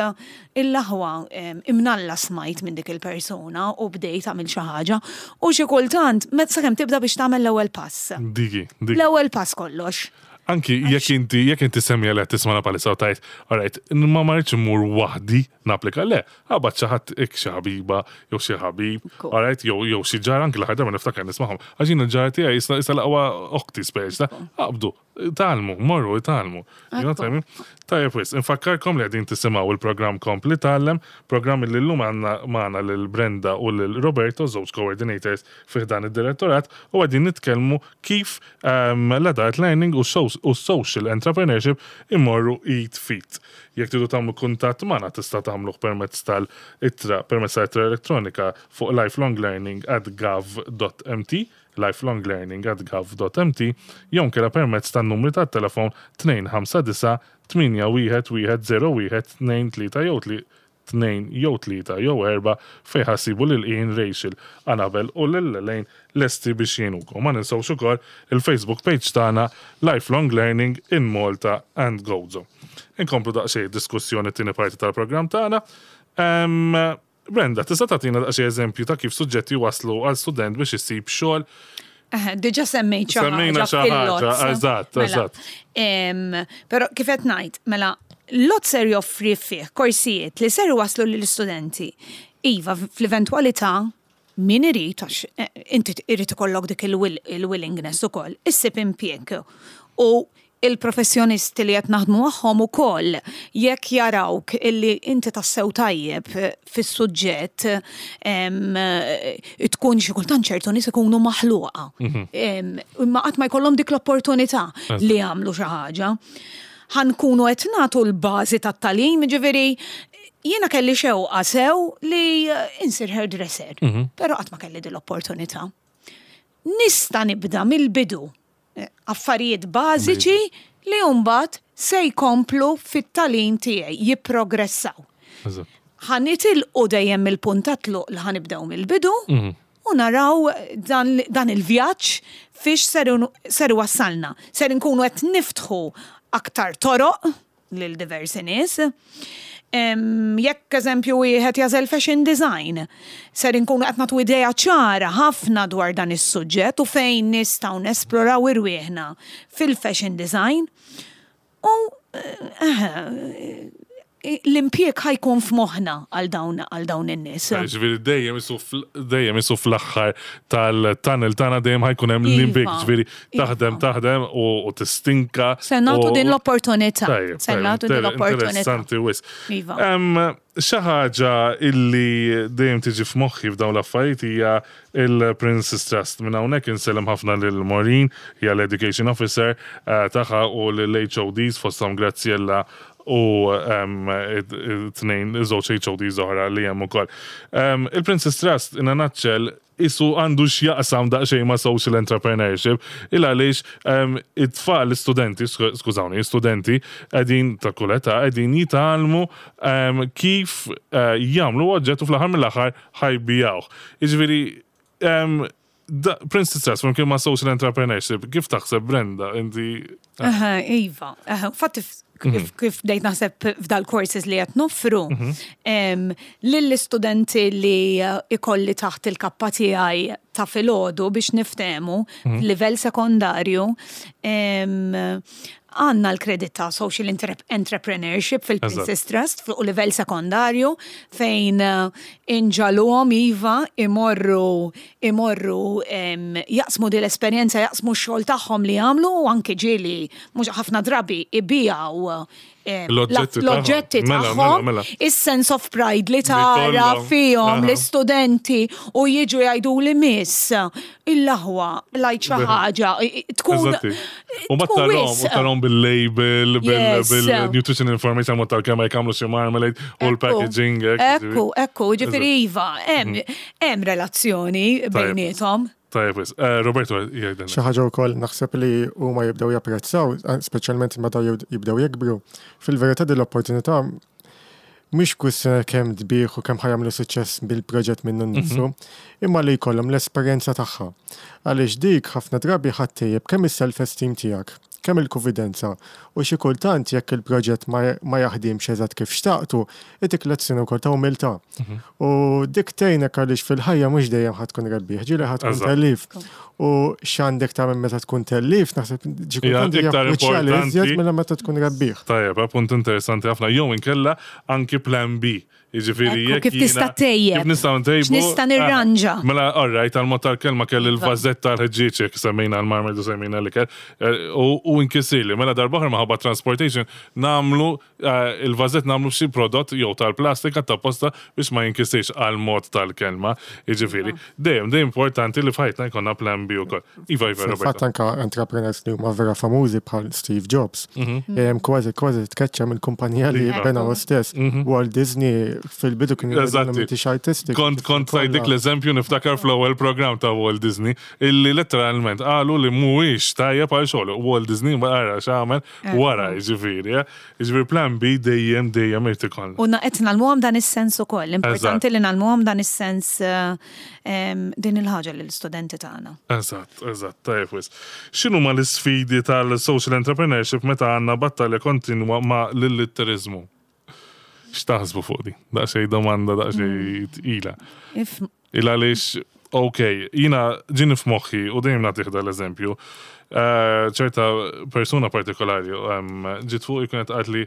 S5: il-laħwa em, imnalla smajt minn dik il-persuna u bdejt għamil xi ħaġa u xi kultant meta sakemm tibda biex tagħmel l-ewwel pass.
S2: Digi, digi.
S5: L-ewwel pass kollox.
S2: Anki jekk inti jekk inti semmija li qed tismana bħalissa u tgħid, alright, ma marriċ immur waħdi napplika, le, aqbad xi ħadd ik xi ħabiba jew xi ħabib,
S5: Cool.
S2: alright, jew jew xi ġar anki l-aħħar darba niftakar nismagħhom. Għax jien il-ġar tiegħi issa issa l-aqwa oħti speċi, ta' aqbdu, tgħallmu, morru, tgħallmu. You know what I mean? Tajjeb wis, infakkarkom li qegħdin tisimgħu il-programm Kompli Tgħallem, programm li llum għandna magħna lil Brenda u lil Roberto, żewġ coordinators fih dan id-direttorat, u qegħdin nitkellmu kif um, l-adult learning u so- u social entrepreneurship imorru id f'id. Jekk tridu tagħmlu kuntatt magħna tista' tagħmluh permezz tal-ittra, permezz tal-ittra elettronika fuq lifelonglearning at gov dot M T, lifelonglearning at gov dot M T, jew inkella permezz tan-numri tat-telefon tnejn ħamsa disa' tmienja wieħed wieħed żero wieħed tnejn tlieta jew tli tnejn jew tlieta jew erba' fejn ħa ssibu lil Ian, Rachel, Annabel u lil Elaine lesti biex jgħinukom. Ma ninsewx ukoll il-Facebook page tagħna Lifelong Learning in Malta and Gozo. Inkomplu daqsxejn diskussjoni tieni parti tal-programm tagħna. Em, Brenda, tista' tagħtina daqsxejn eżempju ta' kif suġġetti waslu għal student biex isib xogħol?
S5: Eh, Diġà semmejt xi
S2: Semmejna
S5: ħaġa
S2: xi ħaġa,
S5: fil-L O T S.
S2: Eżatt,
S5: Mela,
S2: eżatt.
S5: em, Però kif qed ngħid, mela l-L O T S ser joffri fih korsijiet li ser waslu lill-istudenti. Iva, fl-eventwalità min irid, għax eh, inti irid ikollok dik il-will- il-willingness ukoll, issib impjieg. U il-professjonisti li qed naħdmu magħhom ukoll jekk jarawk illi inti tassew tajjeb fis-suġġett em, tkun xi kultant ċertu nies ikunu maħluqa. Em, Imma qatt ma jkollhom dik l-opportunità li jagħmlu xi ħaġa. Ħa nkunu qed nagħtu l-bażi tat-tagħlim, ġifieri jiena kelli xewqa sew li insir hairdresser, però qatt ma kelli din l-opportunità. Nista' nibda mill-bidu eh, affarijiet bażiċi li mbagħad se jkomplu fit-tagħlim tiegħi, jipprogressaw.
S2: Eżatt.
S5: Ħa nitilqu dejjem mill-punt ta' tluq li ħa nibdew mill-bidu u naraw dan, dan il-vjaġġ fiex ser ser wassalna. Ser nkunu qed niftħu aktar toroq lil diversi nies. Em, Jekk eżempju wieħed jagħżel fashion design, ser inkunu qed nagħtu idea ċara ħafna dwar dan is-suġġett u fejn nistgħu nesploraw irwieħna fil-fashion design. U eh, l-impjieg ħa jkun f'moħħna għal dawn għal dawn in-nies.
S2: Ġifieri dejjem isu fl- dejjem isu fl-aħħar tal-tunnel tagħna dejjem ħa jkun hemm
S5: Iva,
S2: l-impjieg, ġifieri taħdem
S5: iva.
S2: Taħdem u u tistinka.
S5: Se nagħtu
S2: u-
S5: din l-opportunità.
S2: Tajjeb,
S5: Se
S2: tajjeb,
S5: nagħtu din
S2: inter-
S5: l-opportunità.
S2: Interessanti wis.
S5: Iva.
S2: Em, Xi ħaġa illi dejjem tiġi f'moħħi f'dawn l-affarijiet hija il-Prince's Trust. Minn hawnhekk insellem ħafna lil Maureen, hija l-Education Officer eh, tagħha u l-H O Ds fosthom Graziella u em, it- it- tnejn żewġ H O Ds oħra li hemm ukoll. Em, Il-Prince's Trust in a nutshell isu għandu x'jaqsam daqsxejn ma' social entrepreneurship il għaliex um, it-tfal, l-istudenti, sku- skużawni, studenti qegħdin ta' kull età qegħdin jitgħallmu um, kif uh, jagħmlu oġġett u fl-aħħar mill-aħħar ħa jbigħuh. Jiġifieri um, da, Prince's Trust flimkien ma' social entrepreneurship, kif taħseb, Brenda, inti?
S5: Aha, iva, aha, fatti kif, kif bdejt naħseb f'dal courses li qed noffru, em, lill-istudenti li eh, ikolli taħt il-kappa tiegħi ta' filgħodu biex niftemu f'livell sekondarju, em, għandna l-kredit ta' social Entrep- entrepreneurship fil-Prince's Trust fuq livell sekondarju fejn eh, inġagħluhom iva imorru imorru em, jaqsmu din l-esperjenza, jaqsmu x-xogħol tagħhom li jagħmlu u anke ġieli mhux ħafna drabi ibigħu eh,
S2: L-oġġetti
S5: l-oġġetti
S2: tagħhom. Mela, mela,
S5: tagħhom,
S2: mela.
S5: is-sense of pride li tara
S2: kollhom.
S5: fihom
S2: Aha.
S5: l-istudenti u jiġu jgħidu li miss il-laħwa lajt xi ħaġa tkun
S2: Eżatti. U ma
S5: tkun
S2: tarahom,
S5: wisq.
S2: u tarahom bil-label,
S5: Yes.
S2: bil-nutrition information, ma tal-kemm jagħmlu xi marmalade u l-packaging. hekk,
S5: Ekku, ekku, ġifieri iva, hemm hemm relazzjoni bejniethom.
S2: Tajjeb, wis. Eh, Roberto, jgħidilna.
S3: Xi ħaġa wkoll naħseb li huma jibdew japprezzaw, speċjalment meta jibdew jikbru. Fil-verità din l-opportunità mhix kwistjoni kemm tbigħ u kemm ħa jagħmlu suċċess bil-proġett minnu nnifsu, imma li jkollhom l-esperjenza tagħha. Għaliex dik ħafna drabi ħa ttejjeb kemm is-self-esteem tiegħek, kemm il-konfidenza u xi kultant jekk il-proġett ma ma jaħdimx eżatt kif xtaqtu, itik lezzjoni wkoll ta' umiltà. U dik tgħinek għaliex fil-ħajja mhux dejjem ħa tkun rebbieħ, ġieli ħa tkun
S2: Eżatt.
S3: tellif. U x'għandek tagħmel meta tkun tellif, naħseb ġi
S2: Hija
S3: kultant hija
S2: iktar
S3: kruċjali iżjed
S2: importanti.
S3: minn meta tkun rebbieħ.
S2: Tajjeb, eh, punt interessanti ħafna. Jew inkella anki plan B. Jiġifieri
S5: Ekku,
S2: jekk
S5: kif tista'
S2: jiena-
S5: tejjeb.
S2: Kif nistgħu ntejbu?
S5: X'nista' nirranġa.
S2: Ah, Mela, all right, għal-mod tal-kelma kelli
S5: Iva.
S2: l-vażett tal-ħġieġ jekk semmejna l-marmalade u semmejna l-ikel. eh, U u inkisirli, mela darb'oħra minħabba transportation nagħmlu eh, il-vażett nagħmlu xi prodott jew tal-plastika ta' posta biex ma jinkisirx għal-mod tal-kelma. Jiġifieri, dejjem dejjem importanti li f'ħajtna jkollna plan B ukoll. Iva, Iva,
S3: Fil-fatt
S2: Roberto.
S3: anka entrepreneurs li huma vera famużi bħal Steve Jobs. Em, Kważi kważi tkeċċa mill-kumpanija li
S2: Iva.
S3: bena hu stess. Walt Disney fil-bidu kien
S2: Eżatti.
S3: m'intix artistic.
S2: Kont kont tajt dik l-eżempju niftakar fl-ewwel program ta' Walt Disney illi letteralment qalu li mhuwiex tajjeb għal xogħol. Walt Disney wara x'għamel wara jiġifieri. eh. Jiġifieri plan B dejjem dejjem irid ikollna.
S5: U na- qed ngħallmuhom dan is-sens ukoll. Importanti
S2: Eżatt.
S5: li ngħallmuhom dan is-sens eh, em, din il-ħaġa lill-istudenti tagħna.
S2: Eżatt, eżatt, tajjeb wis. X'inhuma l-isfidi tal-social entrepreneurship meta għandna battalja kontinwa ma' l-illitteriżmu? X'taħsbu fuq di? Daqsxejn domanda, daqsxejn tqila.
S5: If
S2: Il għaliex, ok, jiena ġini f'moħħi u dejjem nagħtih dal-eżempju, eh, ċerta persuna partikolari em, ġiet fuq kienet qaltli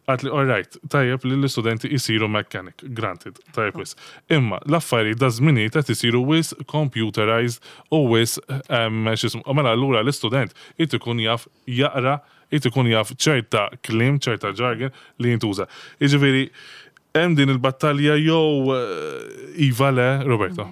S2: qaltli, all right, tajjeb li l-istudenti jisiru mechanic, granted, tajjeb wis. Imma l-affarijiet da żminijiet qed isiru wisq computerized u wisq em, x'ismu, mela allura l-istudent irid ikun jaf jaqra, irid ikun jaf ċerta kliem, ċerta jargon li jintuża. Jiġifieri, hemm din il-battalja jew eh, iva le, Roberto.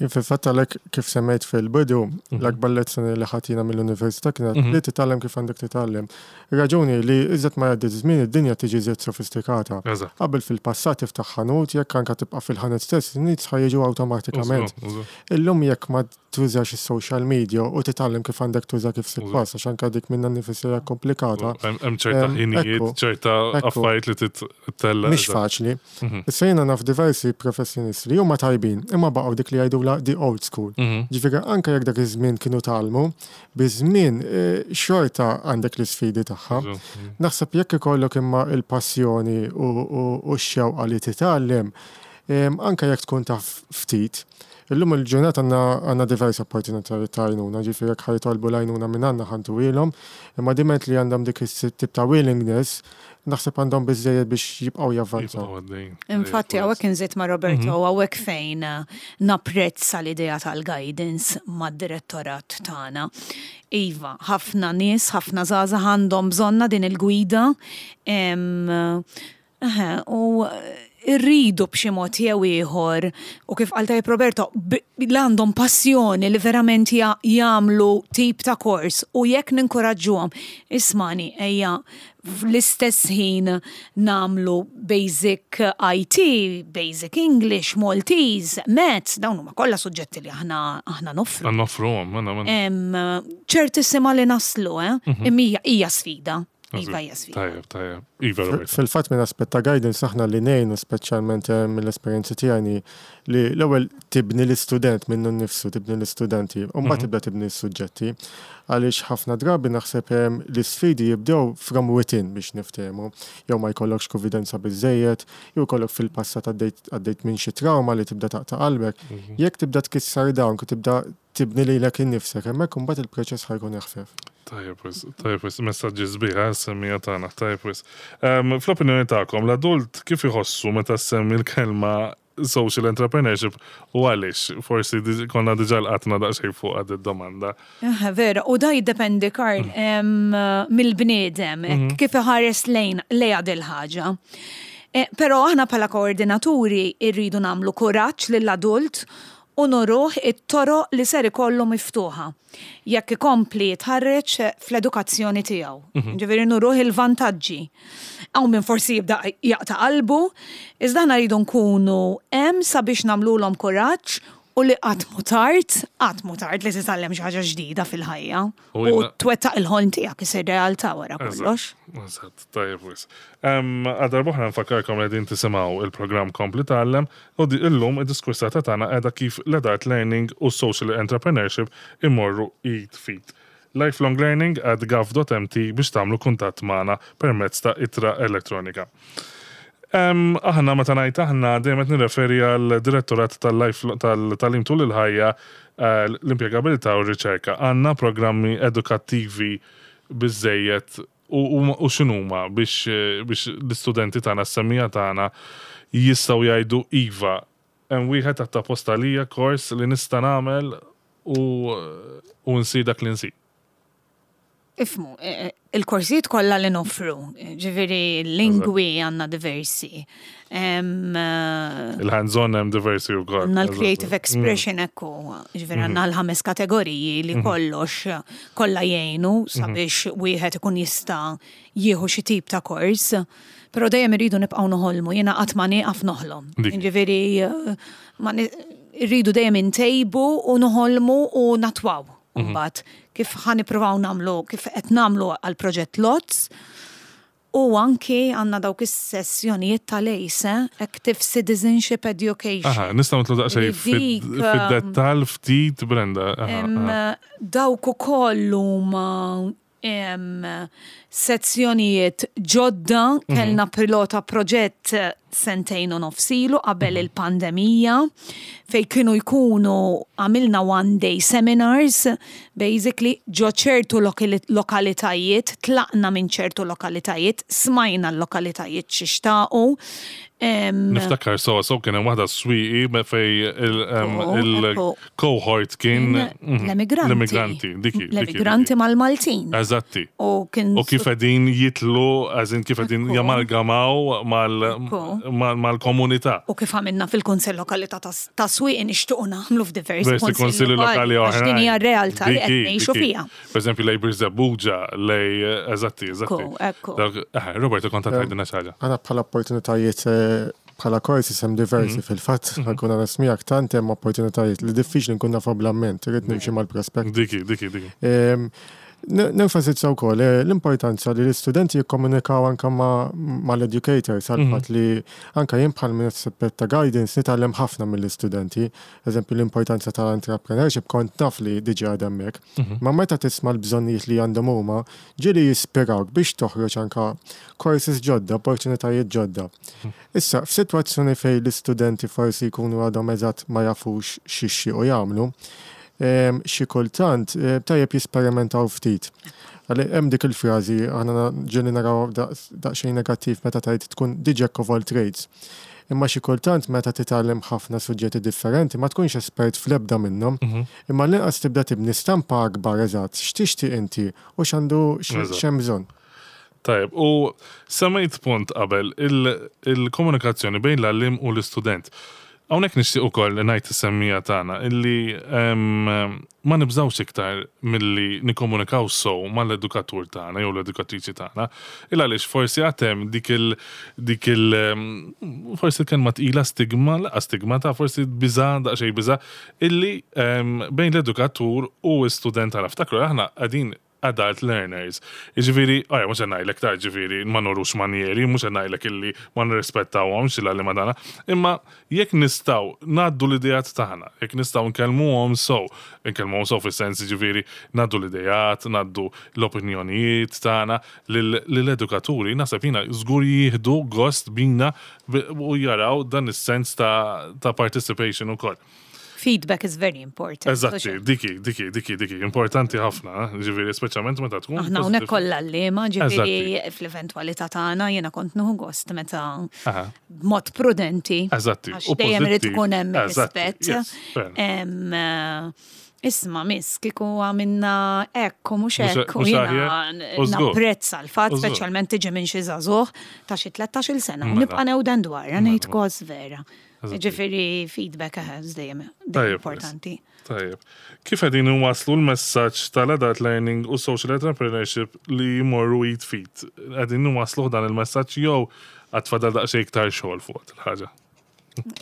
S3: Jien fil-fatt għalhekk kif semmejt fil-bidu, l-akbar lezzjoni li ħadna mill-università kienet li titgħallem kif għandek titgħallem. Raġuni li iżjed ma jgħaddi żmien id-dinja tiġi iżjed sofistikata.
S2: Eżatt.
S3: Qabel fil-passat tiftaħ ħanut, jekk anka tibqa' fil-ħanut stess, in-nies ħa jiġu awtomatikament.
S2: Użu, użu.
S3: Illum jekk ma tużax is-social media u titgħallem kif għandek tuża kif suppost, għax anka dik minnha nnifisha hija komplikata.
S2: Hemm hemm ċerta
S3: Em,
S2: ħinijiet,
S3: ekku,
S2: ċerta
S3: ekku.
S2: affarijiet li titella.
S3: Mhix faċli. Issa jiena naf diversi professjonisti li huma tajbin, imma baqgħu dik li jgħidula the old school. Ġifieri anke jekk dak iż-żmien kienu tgħallmu, biż-żmien eh, xorta għandek l-isfidi tagħha. Naħseb jekk ikollok imma il-passjoni u, u, u x-xewqa li titgħallem, em, anke jekk tkun taf ftit, Illum il-ġurnata għandna għandna diversi opportunitajiet ta' għajnuna, ġifieri jekk ħa jitolbu l-għajnuna minn għandna ħa ntuhielhom, imma diment li għandhom dik is-tip ta' willingness, naħseb għandhom biżejjed biex jibqgħu javvanzaw.
S5: Infatti, hawnhekk inżid ma' Roberto, hawnhekk fejn eh, napprezza l-idea tal-guidance mad-direttorat tagħna. Iva, ħafna nies, ħafna żgħażagħ għandhom bżonna din il-gwida. em, eħe, U irridu b'xi mod jew ieħor u kif qal tajjeb Roberto, b- li għandhom passjoni li verament ja- jagħmlu tip ta' kors u jekk ninkoraġġuhom, ismani ejja fl-istess ħin nagħmlu basic I T, basic English, Maltese, Maths, dawn huma kollha suġġetti li aħna aħna noffru.
S2: Noffruhom, mela, mela.
S5: Em, ċertissima li naslu, eh? Imma hija hija sfida. Iva hija sfida.
S2: Tajjeb, tajjeb. Iva, Roberto.
S3: Fil-fatt minn aspett ta' guidance aħna li ngħinu speċjalment eh, mill-esperjenza tiegħi li l-ewwel tibni l-istudent minnu nnifsu, tibni l-istudenti, u mbagħad tibda tibni s-suġġetti. Għaliex ħafna drabi naħseb eh, l-isfidi jibdew from within biex niftehmu. Jew ma jkollokx konfidenza biżejjed, jew jkollok fil-passat għaddejt għaddejt minn xi trauma li tibda taqta' qalbek. Jekk tibda tkissar dawn, tibda tibni lilek innifsek, hemmhekk imbagħad il-proċess ħa jkun eħfef.
S2: Tajjeb, wis, tajjeb, wis, messaġġi sbieħ, semmija tagħna, tajjeb, wis. Em, Fl-opinjoni tagħkom, l-adult kif iħossu meta semmi l-kelma social entrepreneurship u għaliex? Forsi diġ- konna diġà lqatna daqsxejn fuq għad id-domanda.
S5: Eh, Vera, u da jiddependi, Karl, em, mill-bniedem, hekk kif iħares lejn lejha dil-ħaġa. Eh, Però aħna bħala koordinaturi irridu nagħmlu kuraġġ lill-adult u nuruh it-toroq li ser ikollu miftuħa. Jekk ikompli jitħarreġ fl-edukazzjoni tiegħu. Ġifieri nuruh il-vantaġġi. Hawn min forsi jibda jaqta' qalbu, iżda aħna rridu nkunu hemm sabiex nagħmluhom kuraġġ u li qatt mhu tard, qatt mhu tard li titgħallem xi ħaġa ġdida fil-ħajja.
S2: U
S5: U
S2: jina-
S5: twettaq il-ħolm tiegħek isir realtà wara kollox.
S2: Eżatt, tajjeb wisq. Għal darb'oħra nfakkarkom li qegħdin tisimgħu il-programm Kompli Tgħallem u di illum id-diskursata tagħna qiegħda kif l-adult learning u social entrepreneurship imorru id f'id. Lifelong learning at gov dot M T biex tagħmlu kuntatt magħna permezz ta' ittra elettronika. Um, aħna meta ngħid aħna dejjem qed nirreferi għal direttorat tal-life tal-tagħlim tul il-ħajja, eh, l-impjegabilità u r-riċerka. Għandna programmi edukattivi biżejjed u, u, u x'inhuma biex, eh, biex l-istudenti tagħna, s-semmiegħa tagħna jistgħu jgħidu iva, hemm wieħed apposta għalija kors li nista' nagħmel u u nsir dak li nsir?
S5: Ifhmu, eh, il-korsijiet kollha li noffru, ġifieri lingwi għandna diversi. Em, eh,
S2: Il-hands-on hemm diversi wkoll.
S5: Għandna l-creative expression ekku, ġifieri għandna l-ħames kategoriji li kollox kollha jgħinu sabiex wieħed ikun jista' jieħu xi tip ta' kors. Però dejjem irridu nibqgħu noħolmu, jiena qatt ma nieqaf noħlom.
S2: Dik.
S5: Ġifieri eh, ma ni- irridu dejjem intejbu u noħolmu u natwaw. Mbagħad kif ħa nippruvaw nagħmlu, kif qed nagħmlu għal proġett LOTS, u anki għandna dawk is-sessjonijiet tal-ACE, eh? Active Citizenship Education.
S2: Aha, nistgħu nidħlu daqsxejn
S5: Li dik, um,
S2: fid-dettall ftit, Brenda. Aha,
S5: Em,
S2: aha.
S5: Dawk ukoll huma em, sezzjonijiet ġodda, kellna pilota proġett sentejn u nofs ilu qabel il-pandemija, fej kienu jkunu għamilna one day seminars, basically ġo ċertu lokali- lokalitajiet, tlaqna minn ċertu lokalitajiet, smajna l-lokalitajiet x'ixtaqu. Em,
S2: Niftakar so so kien hemm waħda Swieqi me fej il- em,
S5: Ekku, ekku.
S2: il-cohort kien mhm,
S5: l-emigranti.
S2: L-emigranti, diki. diki,
S5: L-emigranti
S2: diki.
S5: mal-Maltin.
S2: Eżatti.
S5: U kien
S2: U kif qegħdin jitlu, għazin kif qegħdin
S5: Ekku.
S2: jamalgamaw mal-
S5: Ekku.
S2: mal- mal-komunità.
S5: U kif għamilna fil-Kunsell Lokali ta' ta' Swieqi nixtiequ nagħmlu f'diversi
S2: Diversi konsilli lokali
S5: għax
S2: oħrajn.
S5: din hija r-realtà li qed
S2: Diki,
S5: ngħixu
S2: diki.
S5: fiha.
S2: Per eżempju, lej Birżebbuġa, lej, eżatti, eżatti.
S5: Ekku, ekku.
S2: Dawk- eh, Roberto, kont tgħidilna xi ħaġa.
S3: Għandna bħala opportunitajiet eh, bħala korsi hemm diversi fil-fatt, nkun għana miegħek, tant hemm opportunitajiet li diffiċli nkun nafhom bl-amment, irrid nimxi mal-prospekt.
S2: Diki, diki, diki.
S3: Em, n- Nenfasizza wkoll eh, l-importanza li l-istudenti jikkomunikaw anka ma- mal-educators għal fatt li anka jien bħal minn ta' guidance nitgħallem ħafna mill-istudenti. Eżempju, l-importanza tal-entrepreneurship kont naf li diġà għadha hemmhekk. Ma meta tisma' l-bżonnijiet li għandhom huma, ġieli jispirawk biex toħroġ anka courses ġodda, opportunitajiet ġodda. Issa, f'sitwazzjoni fejn l-istudenti forsi jkunu għadhom eżatt ma jafux x'jixtiequ jagħmlu, em, xi kultant eh, tajjeb jesperimentaw ftit. Għalli hemm dik il-frażi aħna ġieli naraw daqs- daqsxejn negattiv meta tgħid tkun the jack of all trades. Imma xi kultant meta titgħallem ħafna suġġetti differenti ma tkunx espert fl-ebda minnhom, imma l-inqas tibda tibni stampa akbar eżatt x'tixtieq inti u x'għandu
S2: Eżatt.
S3: x'hemm bżonn.
S2: Tajjeb, u semmejt punt qabel, il- il-komunikazzjoni bejn l-għalliem u l-istudent. Hawnhekk nixtieq ukoll ngħid is-semmiegħa tagħna illi em, ma nibżawx iktar milli nikkomunikaw sew mal-edukatur tagħna jew l-edukatriċi tagħna. Il għaliex forsi għad hemm dik il dik il em, forsi kelma tqila stigma, laqa stigma ta' forsi biża daqsxejn biża illi em, bejn l-edukatur u l-student tagħna. Ftakru, aħna qegħdin adult learners. Ġifieri, għaja, mhux ngħidlek ta' ġifieri, ma nurux manjeri, mhux ngħidlek illi ma nirrispettawhomx il-għalliema tagħna, imma jekk nistgħu ngħaddu l-idejat tagħna, jekk nistgħu nkellmuhom sew, nkellmuhom sew fis-sens ġifieri ngħaddu l-idejat, ngħaddu l-opinjonijiet tagħna lill-edukaturi, naħseb jiena żgur jieħdu gost bina u jaraw dan is-sens ta' ta' participation ukoll.
S5: Feedback is very important.
S2: Eżatti, diki, diki, diki, diki, importanti ħafna, ġifieri, speċjalment meta tkun.
S5: Aħna hawnhekk
S2: positive.
S5: kollha l-lema, ġifieri
S2: Eżatti.
S5: fl-eventwalità tagħna jiena kont nieħu gost meta
S2: Aha.
S5: b'mod prudenti.
S2: Eżatti,
S5: Għax
S2: u
S5: dejjem irid
S2: pożittiv.
S5: ikun hemm
S2: Eżatti,
S5: rispett.
S2: yes, fair.
S5: Em, eh, Isma, miss, kieku għamilna hekk u mhux
S2: Mhux-
S5: hekk u
S2: mhux
S5: jiena
S2: aħjar, u żgur.
S5: napprezza l-fatt,
S2: U żgur.
S5: speċjalment tiġi minn xi żagħżugħ ta' xi tlettax-il sena. U
S2: Mela.
S5: nibqa' newden dwar, ngħid kos vera.
S2: Eżatti.
S5: Ġifieri feedback eh, dejjem dejjem
S2: Tajjeb,
S5: importanti.
S2: Tajjeb. Kif qegħdin waslu l-messaġġ tal-adult learning u social entrepreneurship li jmorru id f'id? Qegħdin waslu dan il-messaġġ jew għad fadal daqsxejn iktar xogħol fuq il-ħaġa?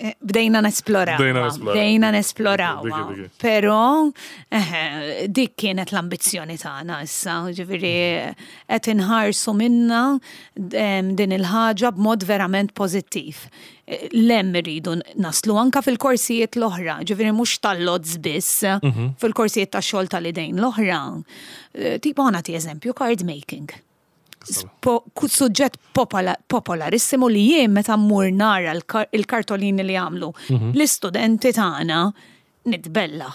S5: Eh, Bdejna nesploraw.
S2: Bdejna nesploraw.
S5: Bdejna nesploraw.
S2: Dik, dik, dik.
S5: Però eh, dik kienet l-ambizzjoni tagħna issa, ġifieri qed inħarsu minna em, din il-ħaġa b'mod verament pożittiv. Eh, Lem irridu naslu anka fil-korsijiet l-oħra, ġifieri mhux tal-L O Ds biss,
S2: Mhm.
S5: fil-korsijiet tax-xogħol tal-idejn l-oħra. Eh, Tipo ħa nagħti eżempju, card making. Po- ku- suġġett popola- popolarissimo li jien meta mmur nara l-kar- il-kartolini li għamlu l-istudenti tagħna nitbella.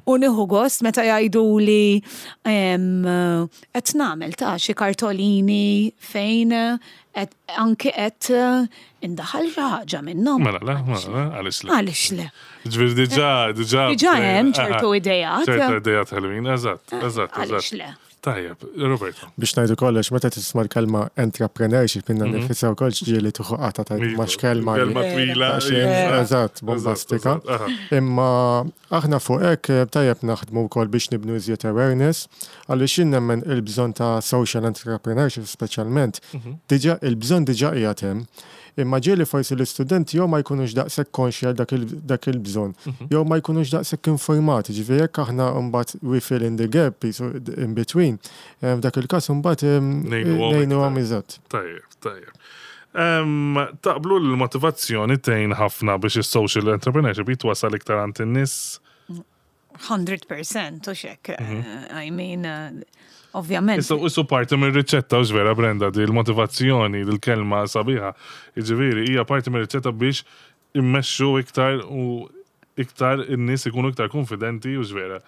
S5: U nieħu gost meta jgħidu li em, qed nagħmel ta' xi kartolini fejn qed anke qed indaħal xi ħaġa minnhom.
S2: Mela, le, mela, le, għaliex le.
S5: Għaliex le?
S2: Ġifieri diġà, diġà.
S5: Diġà hemm
S2: Aha.
S5: ċertu ideat.
S2: ċertu ideat ħelwin, eżatt, eżatt,
S5: Għaliex
S2: eżatt.
S5: le?
S2: Tajjeb, Roberto.
S3: Biex ngħidu kollox, meta tisma' l-kelma entrepreneurship minna nifisha wkoll ġieli tieħu qata ta'
S2: Iva,
S3: ma x'kelma li-
S2: Kelma twila.
S3: ta' xejn,
S2: iva.
S3: Eżatt, bombastika.
S2: Eżatt, aha.
S3: Imma aħna fuq hekk eh, tajjeb naħdmu wkoll biex nibnu iżjed awareness, għaliex jien nemmen il-bżonn ta' social entrepreneurship speċjalment, diġà il-bżonn diġà qiegħed hemm. Imma ġieli forsi l-istudenti jew ma jkunux daqshekk konxji għal dak il- dak il-bżonn, jew ma jkunux daqshekk informati, ġifieri jekk aħna mbagħad we fill in the gap jisu in between, eh, f'dak il-każ mbagħad eh,
S2: Ngħinuhom
S3: ngħinuhom
S2: iktar.
S3: eżatt.
S2: Tajjeb, tajjeb. Em, Taqblu l-motivazzjoni tgħin ħafna biex is-social entrepreneurship jitwasal iktar għand in-nies?
S5: mija fil-mija u xek. I mean, eh, ovvjament.
S2: Issa issu parti mir-riċetta u vera Brenda di l-motivazzjoni, l-kelma sabiħa. Jiġifieri hija parti mir-riċetta biex immexxu iktar u iktar in-nies ikunu iktar konfidenti u vera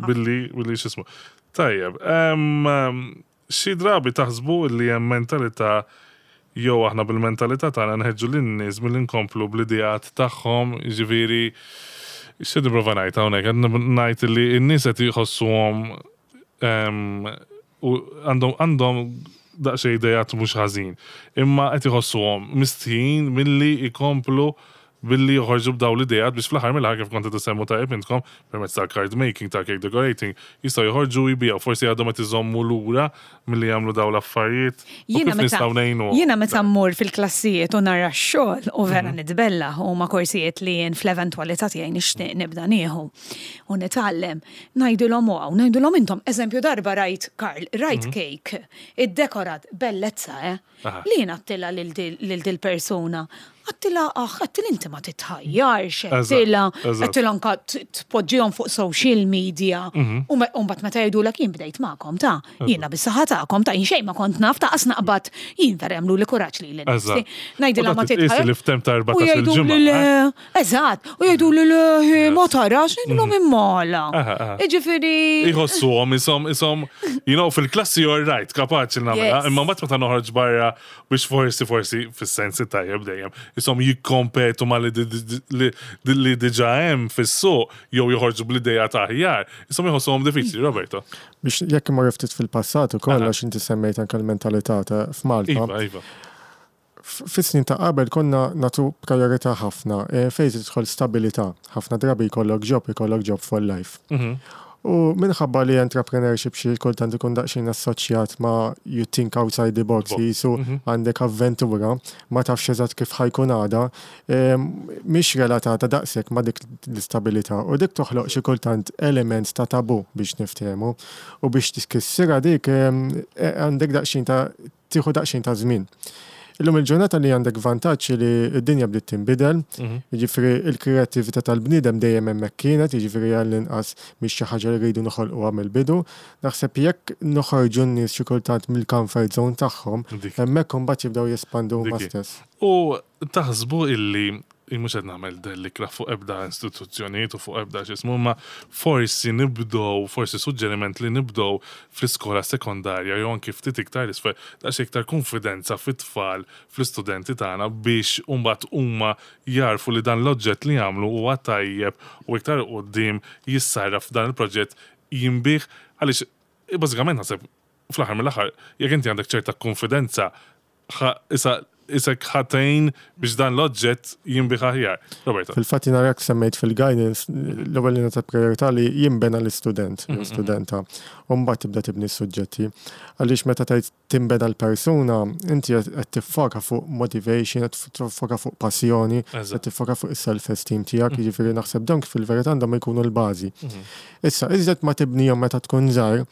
S2: billi billi x'ismu. Tajjeb, em, em, xi drabi taħsbu li hemm mentalità jew aħna bil-mentalità tagħna nħeġġu lin-nies milli nkomplu bl-ideat tagħhom, jiġifieri xi nipprova ngħid hawnhekk qed ngħid li n-nies qed jħossuhom em, u għandhom għandhom daqsxejn idejat mhux ħażin, imma qed iħossuhom mistħin milli jkomplu billi joħorġu b'daw l-idejat biex fl-aħħar mill-aħħar kif kont tisemmu tajjeb intkom permezz tal-card making, tal-cake decorating, jistgħu joħorġu jbiegħu, forsi għadhom qed iżommu lura milli jagħmlu daw l-affarijiet. U
S5: Jiena
S2: kif
S5: meta
S2: nistgħu ngħinu?
S5: jiena meta mmur fil-klassijiet u nara x-xogħol u vera
S2: Mhm.
S5: nitbella u ma korsijiet li jien fl-eventwalità tiegħi nixtieq nibda nieħu u nitgħallem, ngħidilhom wow, ngħidilhom intom, eżempju darba rajt Karl, rajt cake, iddekorat bellezza, eh?
S2: Mhm. Aha.
S5: Li jien għedtilha lil dil persuna. Għedtilha, aħ, għedtilha inti ma titħajjarx,
S2: Eżatt,
S5: għedtilha,
S2: eżatt.
S5: għedtilha anka t- tpoġġihom fuq social media.
S2: Mhm.
S5: U me- u mbagħad meta jgħidulek jien bdejt magħkom ta' jiena bis-saħħa tagħkom ta' jien xejn ma kont naf ta' qas naqbad jien vera jagħmlu li kuraġġ li
S2: Eżatt.
S5: Ngħidilha
S2: U
S5: ma
S2: da titqis
S5: titħajjar.
S2: li f'temp ta'
S5: U
S2: erbatax-il
S5: jgħidu
S2: ġimgħa,
S5: li le, eżatt, u jgħidu li le, ma tarax, ngħidilhom immala.
S2: Aha, aha.
S5: Jiġifieri.
S2: Iħossuhom, isom, isom, you know, fil-klassi you're right, kapaċi nagħmilha,
S5: Yes.
S2: imma mbagħad meta noħroġ barra biex forsi forsi fis-sensi tajjeb dejjem, isom jikkompetu ma li di- di- li li diġà hemm fis-suq jew joħorġu bl-idea ta' aħjar, isom iħossuhom diffiċli, Roberto.
S3: Biex jekk imma ftit fil-passat ukoll
S2: Aha.
S3: għax inti semmejt anke l-mentalità ta' f'Malta.
S2: Iva, iva.
S3: F- Fis-snin ta' qabel konna natu priorità ħafna eh, fejn tidħol stabilità. Ħafna drabi jkollok job, jkollok job for life.
S2: Mhm.
S3: U minħabba li entrepreneurship xi kultant ikun daqsxejn assoċjat ma' you think outside the box,
S2: Box.
S3: jisu għandek avventura, ma tafx eżatt kif ħa jkun għada, em, mhix relatata daqshekk ma' dik l-istabilità u dik toħloq xi kultant element ta' tabu biex niftehmu u biex tiskissira dik em, e- għandek daqsxejn ta' tieħu daqsxejn ta' żmien. Illum il-ġurnata li għandek vantaġġ li d-dinja bdiet tinbidel, jiġifieri il-kreattività tal-bniedem dejjem hemmhekk kienet, jiġifieri għall-inqas mhix xi ħaġa li rridu noħolquha mill-bidu. Naħseb jekk noħorġu n-nies xi kultant mill-comfort zone tagħhom,
S2: Dik.
S3: hemmhekk imbagħad jibdew jespandu huma
S2: Diki.
S3: stess.
S2: U taħsbu illi Mhux qed nagħmel dellikra fuq ebda istituzzjonijiet u fuq ebda x'ismu, ma forsi nibdow, forsi suġġeriment li nibdow fl-iskola sekondarja jew anki ftit iktar isfel, daqs iktar konfidenza fit-tfal, fl-istudenti tagħna biex mbagħad huma jarfu li dan l-oġġett li jagħmlu huwa tajjeb u iktar quddiem jissarraf f'dan il-proġett jinbiegħ, għaliex bażikament naħseb fl-aħħar mill-aħħar jekk inti għandek ċerta konfidenza issa isek ħatejn biex dan l-oġġett jinbiegħ aħjar. Roberto.
S3: Fil-fatt jiena rak semmejt fil-guidance, l-ewwel li ta' priorità li jinbena l-istudent, jew studenta, u mbagħad tibda tibni s-suġġetti. Għaliex meta tgħid tinbena l-persuna, inti qed tiffoka fuq motivation, qed tiffoka fuq passjoni, qed tiffoka fuq is-self-esteem tiegħek, jiġifieri naħseb dawn fil-verità għandhom jkunu l-bażi. Issa, iżjed ma tibnihom meta tkun żgħar,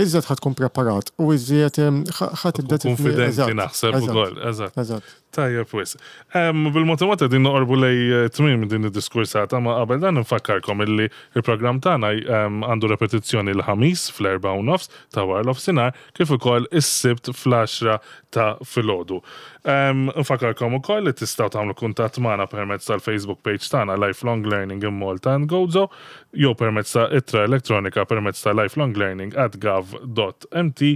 S3: iżjed ħa tkun preparat u iżjed ħa tibda
S2: tibni. Konfidenti naħseb ukoll, eżatt.
S3: Eżatt.
S2: Tajjeb wisq. Bil-mod il-mod qegħdin noqorbu lej tmiem din id-diskursata, ma qabel dan nfakkarkom illi il-programm tagħna għandu repetizzjoni l-ħamis fl-erba' u nofs ta' wara l-ofsinhar kif ukoll is-Sibt fl-għaxra ta' filgħodu. Nfakkarkom ukoll li tistgħu tagħmlu kuntatt magħna permezz tal-Facebook page tagħna Lifelong Learning in Malta and Gozo jew permezz ta' ittra elettronika permezz ta' lifelonglearning at gov dot mt.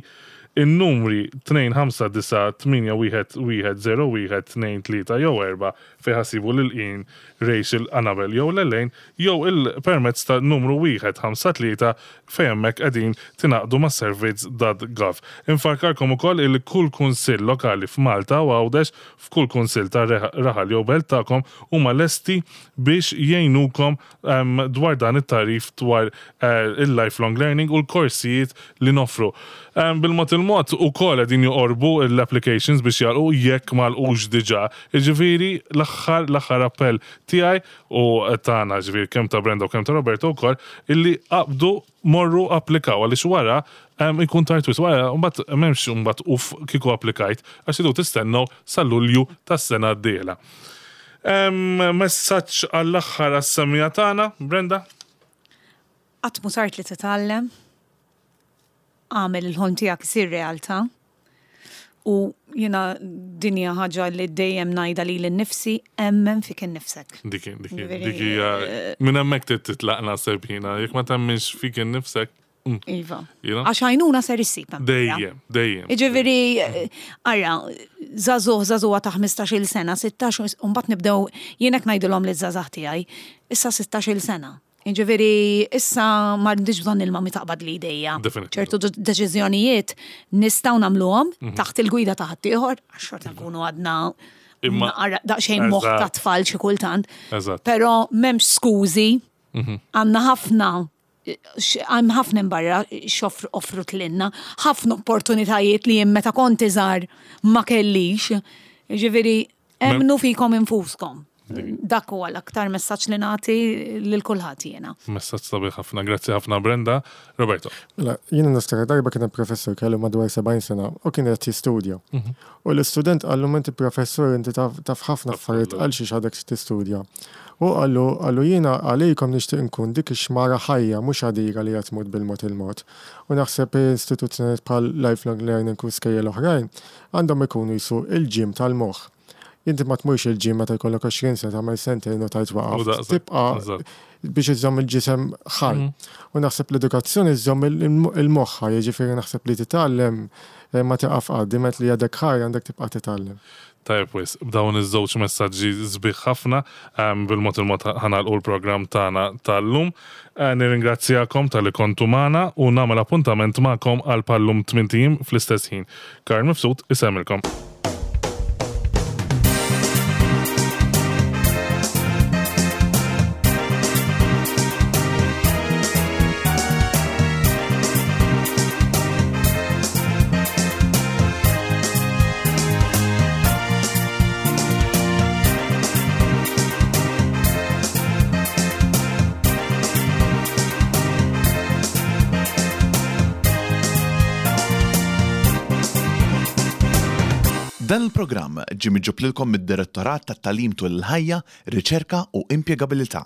S2: In-numri tnejn ħamsa disa' tmienja wieħed wieħed zero wieħed tnejn tlieta jew erba' fejn ħassibu lil Ian, Rachel, Annabel jew Lelaine jew il-permezz ta' numru wieħed ħamsa tlieta fejn hemmhekk qegħdin tingħaqdu ma' servizz dot gov. Infarkarkom ukoll il kull kunsill lokali f'Malta u Għawdex f'kull kunsill ta' raħal jew belt tagħkom huma lesti biex jgħinukom, ehm, dwar dan it-tarif dwar, eh, il-lifelong learning u l-korsijiet li noffru. Ehm, bil-mod il-mod ukoll qegħdin joqorbu l-applications biex jagħlqu jekk ma għalqux diġà. Jiġifieri l-aħħar, l-aħħar appell tiegħi u tagħna, ġifieri kemm ta' Brenda u kemm ta' Roberto wkoll, illi qabdu morru applikaw għaliex wara, ehm, ikun tard wisq, wara mbagħad m'hemmx mbagħad uf kieku applikajt għax idu tistennew sal-Lulju tas-sena d-dieħla. Ehm, messaġġ għall-aħħar għas-semija tagħna, Brenda?
S5: Qatt mhu tard li titgħallem, għamel il-ħolm tiegħek isir realtà. U jiena din hija ħaġa li dejjem ngħidha lili nnifsi, emmen fik innifsek.
S2: Dik, dik,
S5: Ġifieri,
S2: dik hija minn hemmhekk trid titlaq naħseb jiena, jekk ma temminx fik innifsek. Mm.
S5: Iva.
S2: You know?
S5: Għax għajnuna ser issib hemm.
S2: Dejjem, dejjem.
S5: Jiġifieri, ara, żagħżugħ, żagħżugħa ta' ħmistax-il sena, sittax, u mbagħad nibdew, jien hekk ngħidilhom liż-żgħażagħ tiegħi, issa sittax-il sena. Jiġifieri, issa ma rridx bżonn il-mami taqbad li idejja.
S2: Definitely.
S5: Ċertu d-, deċiżjonijiet nistgħu nagħmluhom
S2: Mhm.
S5: taħt il-gwida ta' ħaddieħor, għax xorta nkunu għadna
S2: Imma
S5: naqra daqsxejn moħħ ta'
S2: Eżatt.
S5: tfal xi kultant.
S2: Eżatt.
S5: Però m'hemmx skużi,
S2: Mhm.
S5: għandna ħafna, x-, hemm ħafna imbarra x'offru offrut lilna, ħafna opportunitajiet li jien meta kont iżgħar ma kellix. Jiġifieri,
S2: Mem-
S5: emmnu fikom infuskom.
S2: Dik.
S5: Dak huwa l-aktar messaġġ li nagħti lil kulħadd jiena.
S2: Messaġġ sabiħ ħafna, grazzi ħafna Brenda. Roberto.
S3: Mela, jiena niftakar darba kien hemm professur kellu madwar sebgħin sena u kien qed jistudja.
S2: Mhm.
S3: U l-istudent qallu inti professur inti taf, taf ħafna
S2: Taf
S3: affarijiet
S2: kollox.
S3: għal xiex għadek tistudja. U qallu, qallu jiena għalikom nixtieq nkun dik ix-xmara ħajja mhux għadira li qed tmut bil-mod il-mod. U naħseb istituzzjonijiet bħal lifelong learning u skejjel oħrajn għandhom ikunu jisu il-ġim tal-moħħ. Inti ma tmurx il-ġim meta jkollok għoxrin sena tagħmel sentejn u tajt waqaf.
S2: U daqshekk,
S3: Tibqa'
S2: eżatt.
S3: biex iżżomm il-ġisem ħaj.
S2: Mhm.
S3: U naħseb l-edukazzjoni iżżomm il-, il-, il-moħħa, jiġifieri naħseb li titgħallem, eh, ma tieqaf qatt, diment li għadek ħaj għandek tibqa' titgħallem.
S2: Tajjeb wis, b'dawn iż-żewġ messaġġi sbieħ ħafna, ehm, bil-mod il-mod ħanalqu l-programm tagħna tal-lum. Eh, nirringrazzjakom tal-li kontu magħna u nagħmel appuntament magħkom għal pallum tmint ijiem fl-istess ħin. Karl Mifsud isemmilkom.
S1: Dan il-programm ġie miġġub lilkom mid-Direttorat tat-Tagħlim tul il-Ħajja, Riċerka u Impjegabilità.